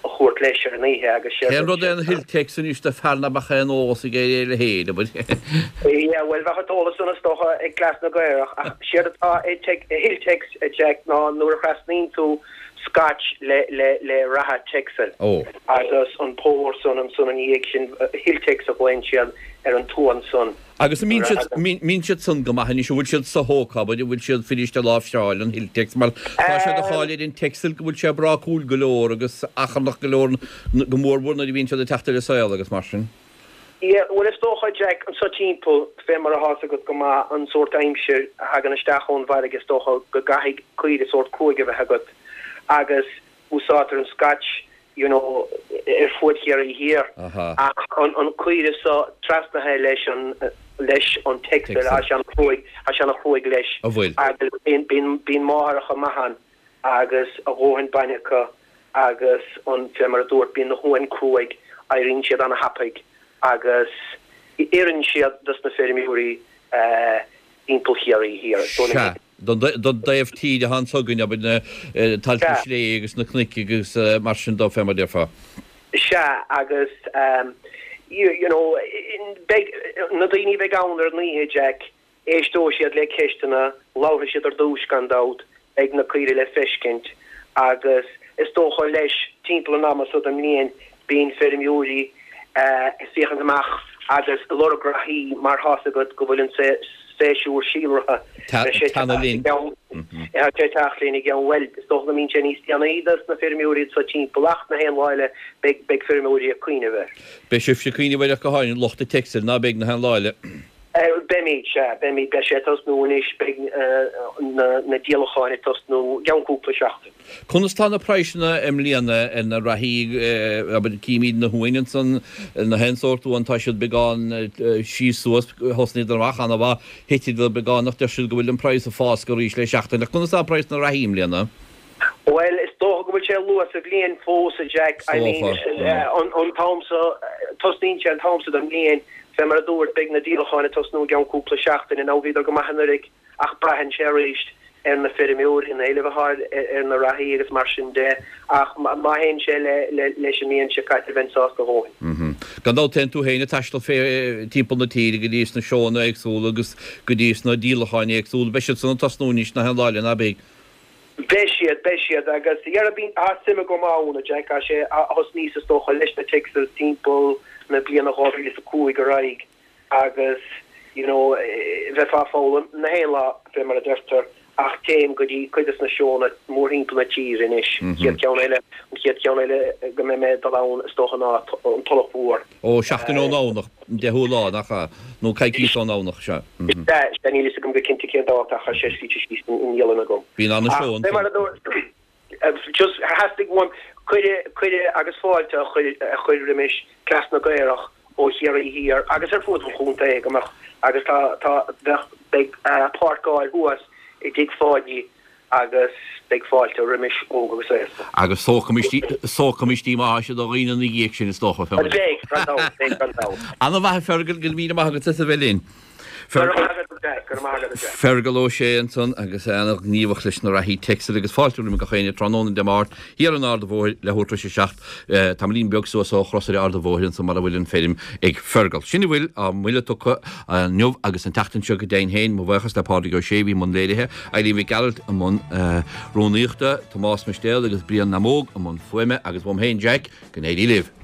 Speaker 9: a thabhairt leis ar an oíche agus
Speaker 1: séard Cén rud é an Hilltex anois do fear nach mbeadh aon eolas aige ar a leithéid, abair?
Speaker 9: Yeah, bhuel, bheadh an t-eolas san is dócha ag Cleas na gCaorach, ach séard atá i Hilltex, a Jack, ná nuair a thrasnaíonn tú Scotch le, le, le reatha Texel agus an pór san ansan ina dhiaidh sin, Hilltex a ghlaonn siad ar an t-uan san.
Speaker 1: Agus an mbíonn siad, mbíonn siad san go maith anois, an bhfuil siad so-thógtha, abair, an bhfuil siad fuirist a láimhseáil, an Hilltex, mar tá sé de cháil ar an Texel go bhfuil sé brácúil go leor agus achrannach go leor, go mórmhór nuair a bhíonn siad ag teacht ar an saol agus mar sin.
Speaker 9: Yeah, bhuel is dócha, Jack, anso timpeall, fé mar atá's agat go maith, an sórt aimsir a thagann isteach ón bhfarraige, is dócha go gcaithfidh caoire sórt cruaidh a bheith agat agus úsáidtear an Scotch you know, ar fuaid Chiarraí Thiar. Ach an caoire so trasnaithe leis an, leis an Texel, tá sé an-chruaidh, tá sé an-chruaidh leis.
Speaker 1: An bhfuil?
Speaker 9: Agus bíonn, bíonn, bíonn máithreacha maith ann agus a dhóthain bainne acu agus an, fé mar a dúirt, bíonn na huain cruaidh, éiríonn siad an-thapaidh agus oireann siad dos na feirmeoirí timpeall Chiarraí Thiar.
Speaker 1: Sea, don dtaobh tíre atá anso againn, abair, na tailte sléibhe agus na cnoic agus mar sin dó, fé mar a déarfá.
Speaker 9: Sea, agus you know, beidh, na daoine a bheidh ann ar an oíche, Jack, éisteoidh siad le ceisteanna, labharfaidh siad ar dtúis gan dabht, beidh na caoirigh le feiscint agus is dócha leis timpeall an ama so den mbliain bíonn feirmeoirí ag féachaint amach agus ag lorg reathaí mar thá's agat go bhfuil an séasúr síolraithe beidh sé
Speaker 1: Teannadh linn.
Speaker 9: Tá sé ag teacht linn i gceann bhuel is dócha go mbíonn sé níos déanaí dos na feirmeoirí anso timpeall ach na haon lá eile beidh beidh feirmeoirí ag cuimhneamh air.
Speaker 1: Beidh sibhse ag cuimhneamh air ach go háirithe lucht an Texel ná beidh na haon lá eile.
Speaker 9: Beimid, sea, beimid. Beidh sé ag tosnú anois, beidh na díolacháin ag tosnú i gceann cúpla seachtain.
Speaker 1: Conas tá na praghsanna i mbliana ar na reathaí, abair, címid na huain ansan, na haon sórt uan, tá siad beagán síos suas, thosnaíodar amach ana-mhaith, thiteadar beagán ach deir siad go bhfuil an praghas ag fáscadh arís le seachtain. Ach conas tá praghas na reathaí i mbliana?
Speaker 9: Bhuel, is dócha go bhfuil sé luath sa bhliain fós, a Jack. I mean, an t-am so, tosnaíonn sé an t-am so den mbliain, fé mar a dúirt, beidh na díolacháin ag tosnú i gceann cúpla seachtaine. Now, bhíodar go maith anuraidh ach braitheann sé arís ar na feirmeoirí, an éileamh atá ar na reathaí agus mar sin de. Ach má théann sé leis an mbliain seo caite, bheinn sásta a dhóthain.
Speaker 1: Gan dabht téann tú féin ag taisteal fé timpeall na tíre go dtí sna seóanna éagsúla agus go dtí sna díolacháin éagsúla. Beidh siad san ag tosnú anois na haon lá eile, ná beidh?
Speaker 9: Beidh siad, beidh siad, agus dhera bíonn, tá suim agam ann, a Jack, tá sé, thosnaíos is dócha leis na Texels timpeall na bliana 2005 ar aghaidh agus you know bheifeá ag foghlaim na haon lá fé mar a deirtear ach téim go dtí cuid des na seónna mórthimpeall na tíre anois, an chéad cheann eile, an chéad cheann eile go mbeidh mé ag dul ann is dócha ná an Tulach Mhór.
Speaker 1: Ó, seachtain ón nDomhnach, an 10ú lá, nach ea? Nó coicís ón nDomhnach, sea.
Speaker 9: Sea, sea, níl fhios agam go cinnte cén dáta ach tá sé scríte síos i ndialann agam.
Speaker 1: Bíonn ana-sheó
Speaker 9: ansan. Fé mar a dúirt, just theastaigh uaim cuireadh, cuireadh agus fáilte a chur, a chur roimis Cleas na gCaorach ó Chiarraí Thiar agus ar fuaid an chontae go mbeadh, agus tá, tá, bheadh, beidh páirceáil thuas i dTigh Pháidí. Agus beidh fáilte roimis, óg agus aosta.
Speaker 1: Agus sócamaistí maithe do dhaoine ina dhiaidh sin, is dócha.
Speaker 9: Beidh, gan dabht, beidh gan dabht.
Speaker 1: Ana-mhaith a Fergal, go raibh míle maith agat as a bheith linn.
Speaker 9: Go raibh maith agat, Jack, go raibh maith agat, Jack.
Speaker 1: Fergal Ó Sé ansan agus é ana-ghníomhach leis na reathaí Texel agus fáilte roimh gach éinne tráthnóna Dé Máirt thiar in Ard a' Bhóthair leathuair tar éis a 7, tamaillín beag suas ó chrosaire Ard a' Bhóthair ansan mar a bhfuil an feirm ag Fergal. Sin a bhfuil á mbuille tugtha inniu agus an tseachtain seo go deimhin féin. Mo bhuíochas le Pádraig Ó Sé a bhí i mbun léirithe, Eileen Mhic Gearailt i mbun rúnaíochta, Tomás Mistéal agus Brian Namóg i mbun fuaime agus uaim féin Jack, go n-éirí libh.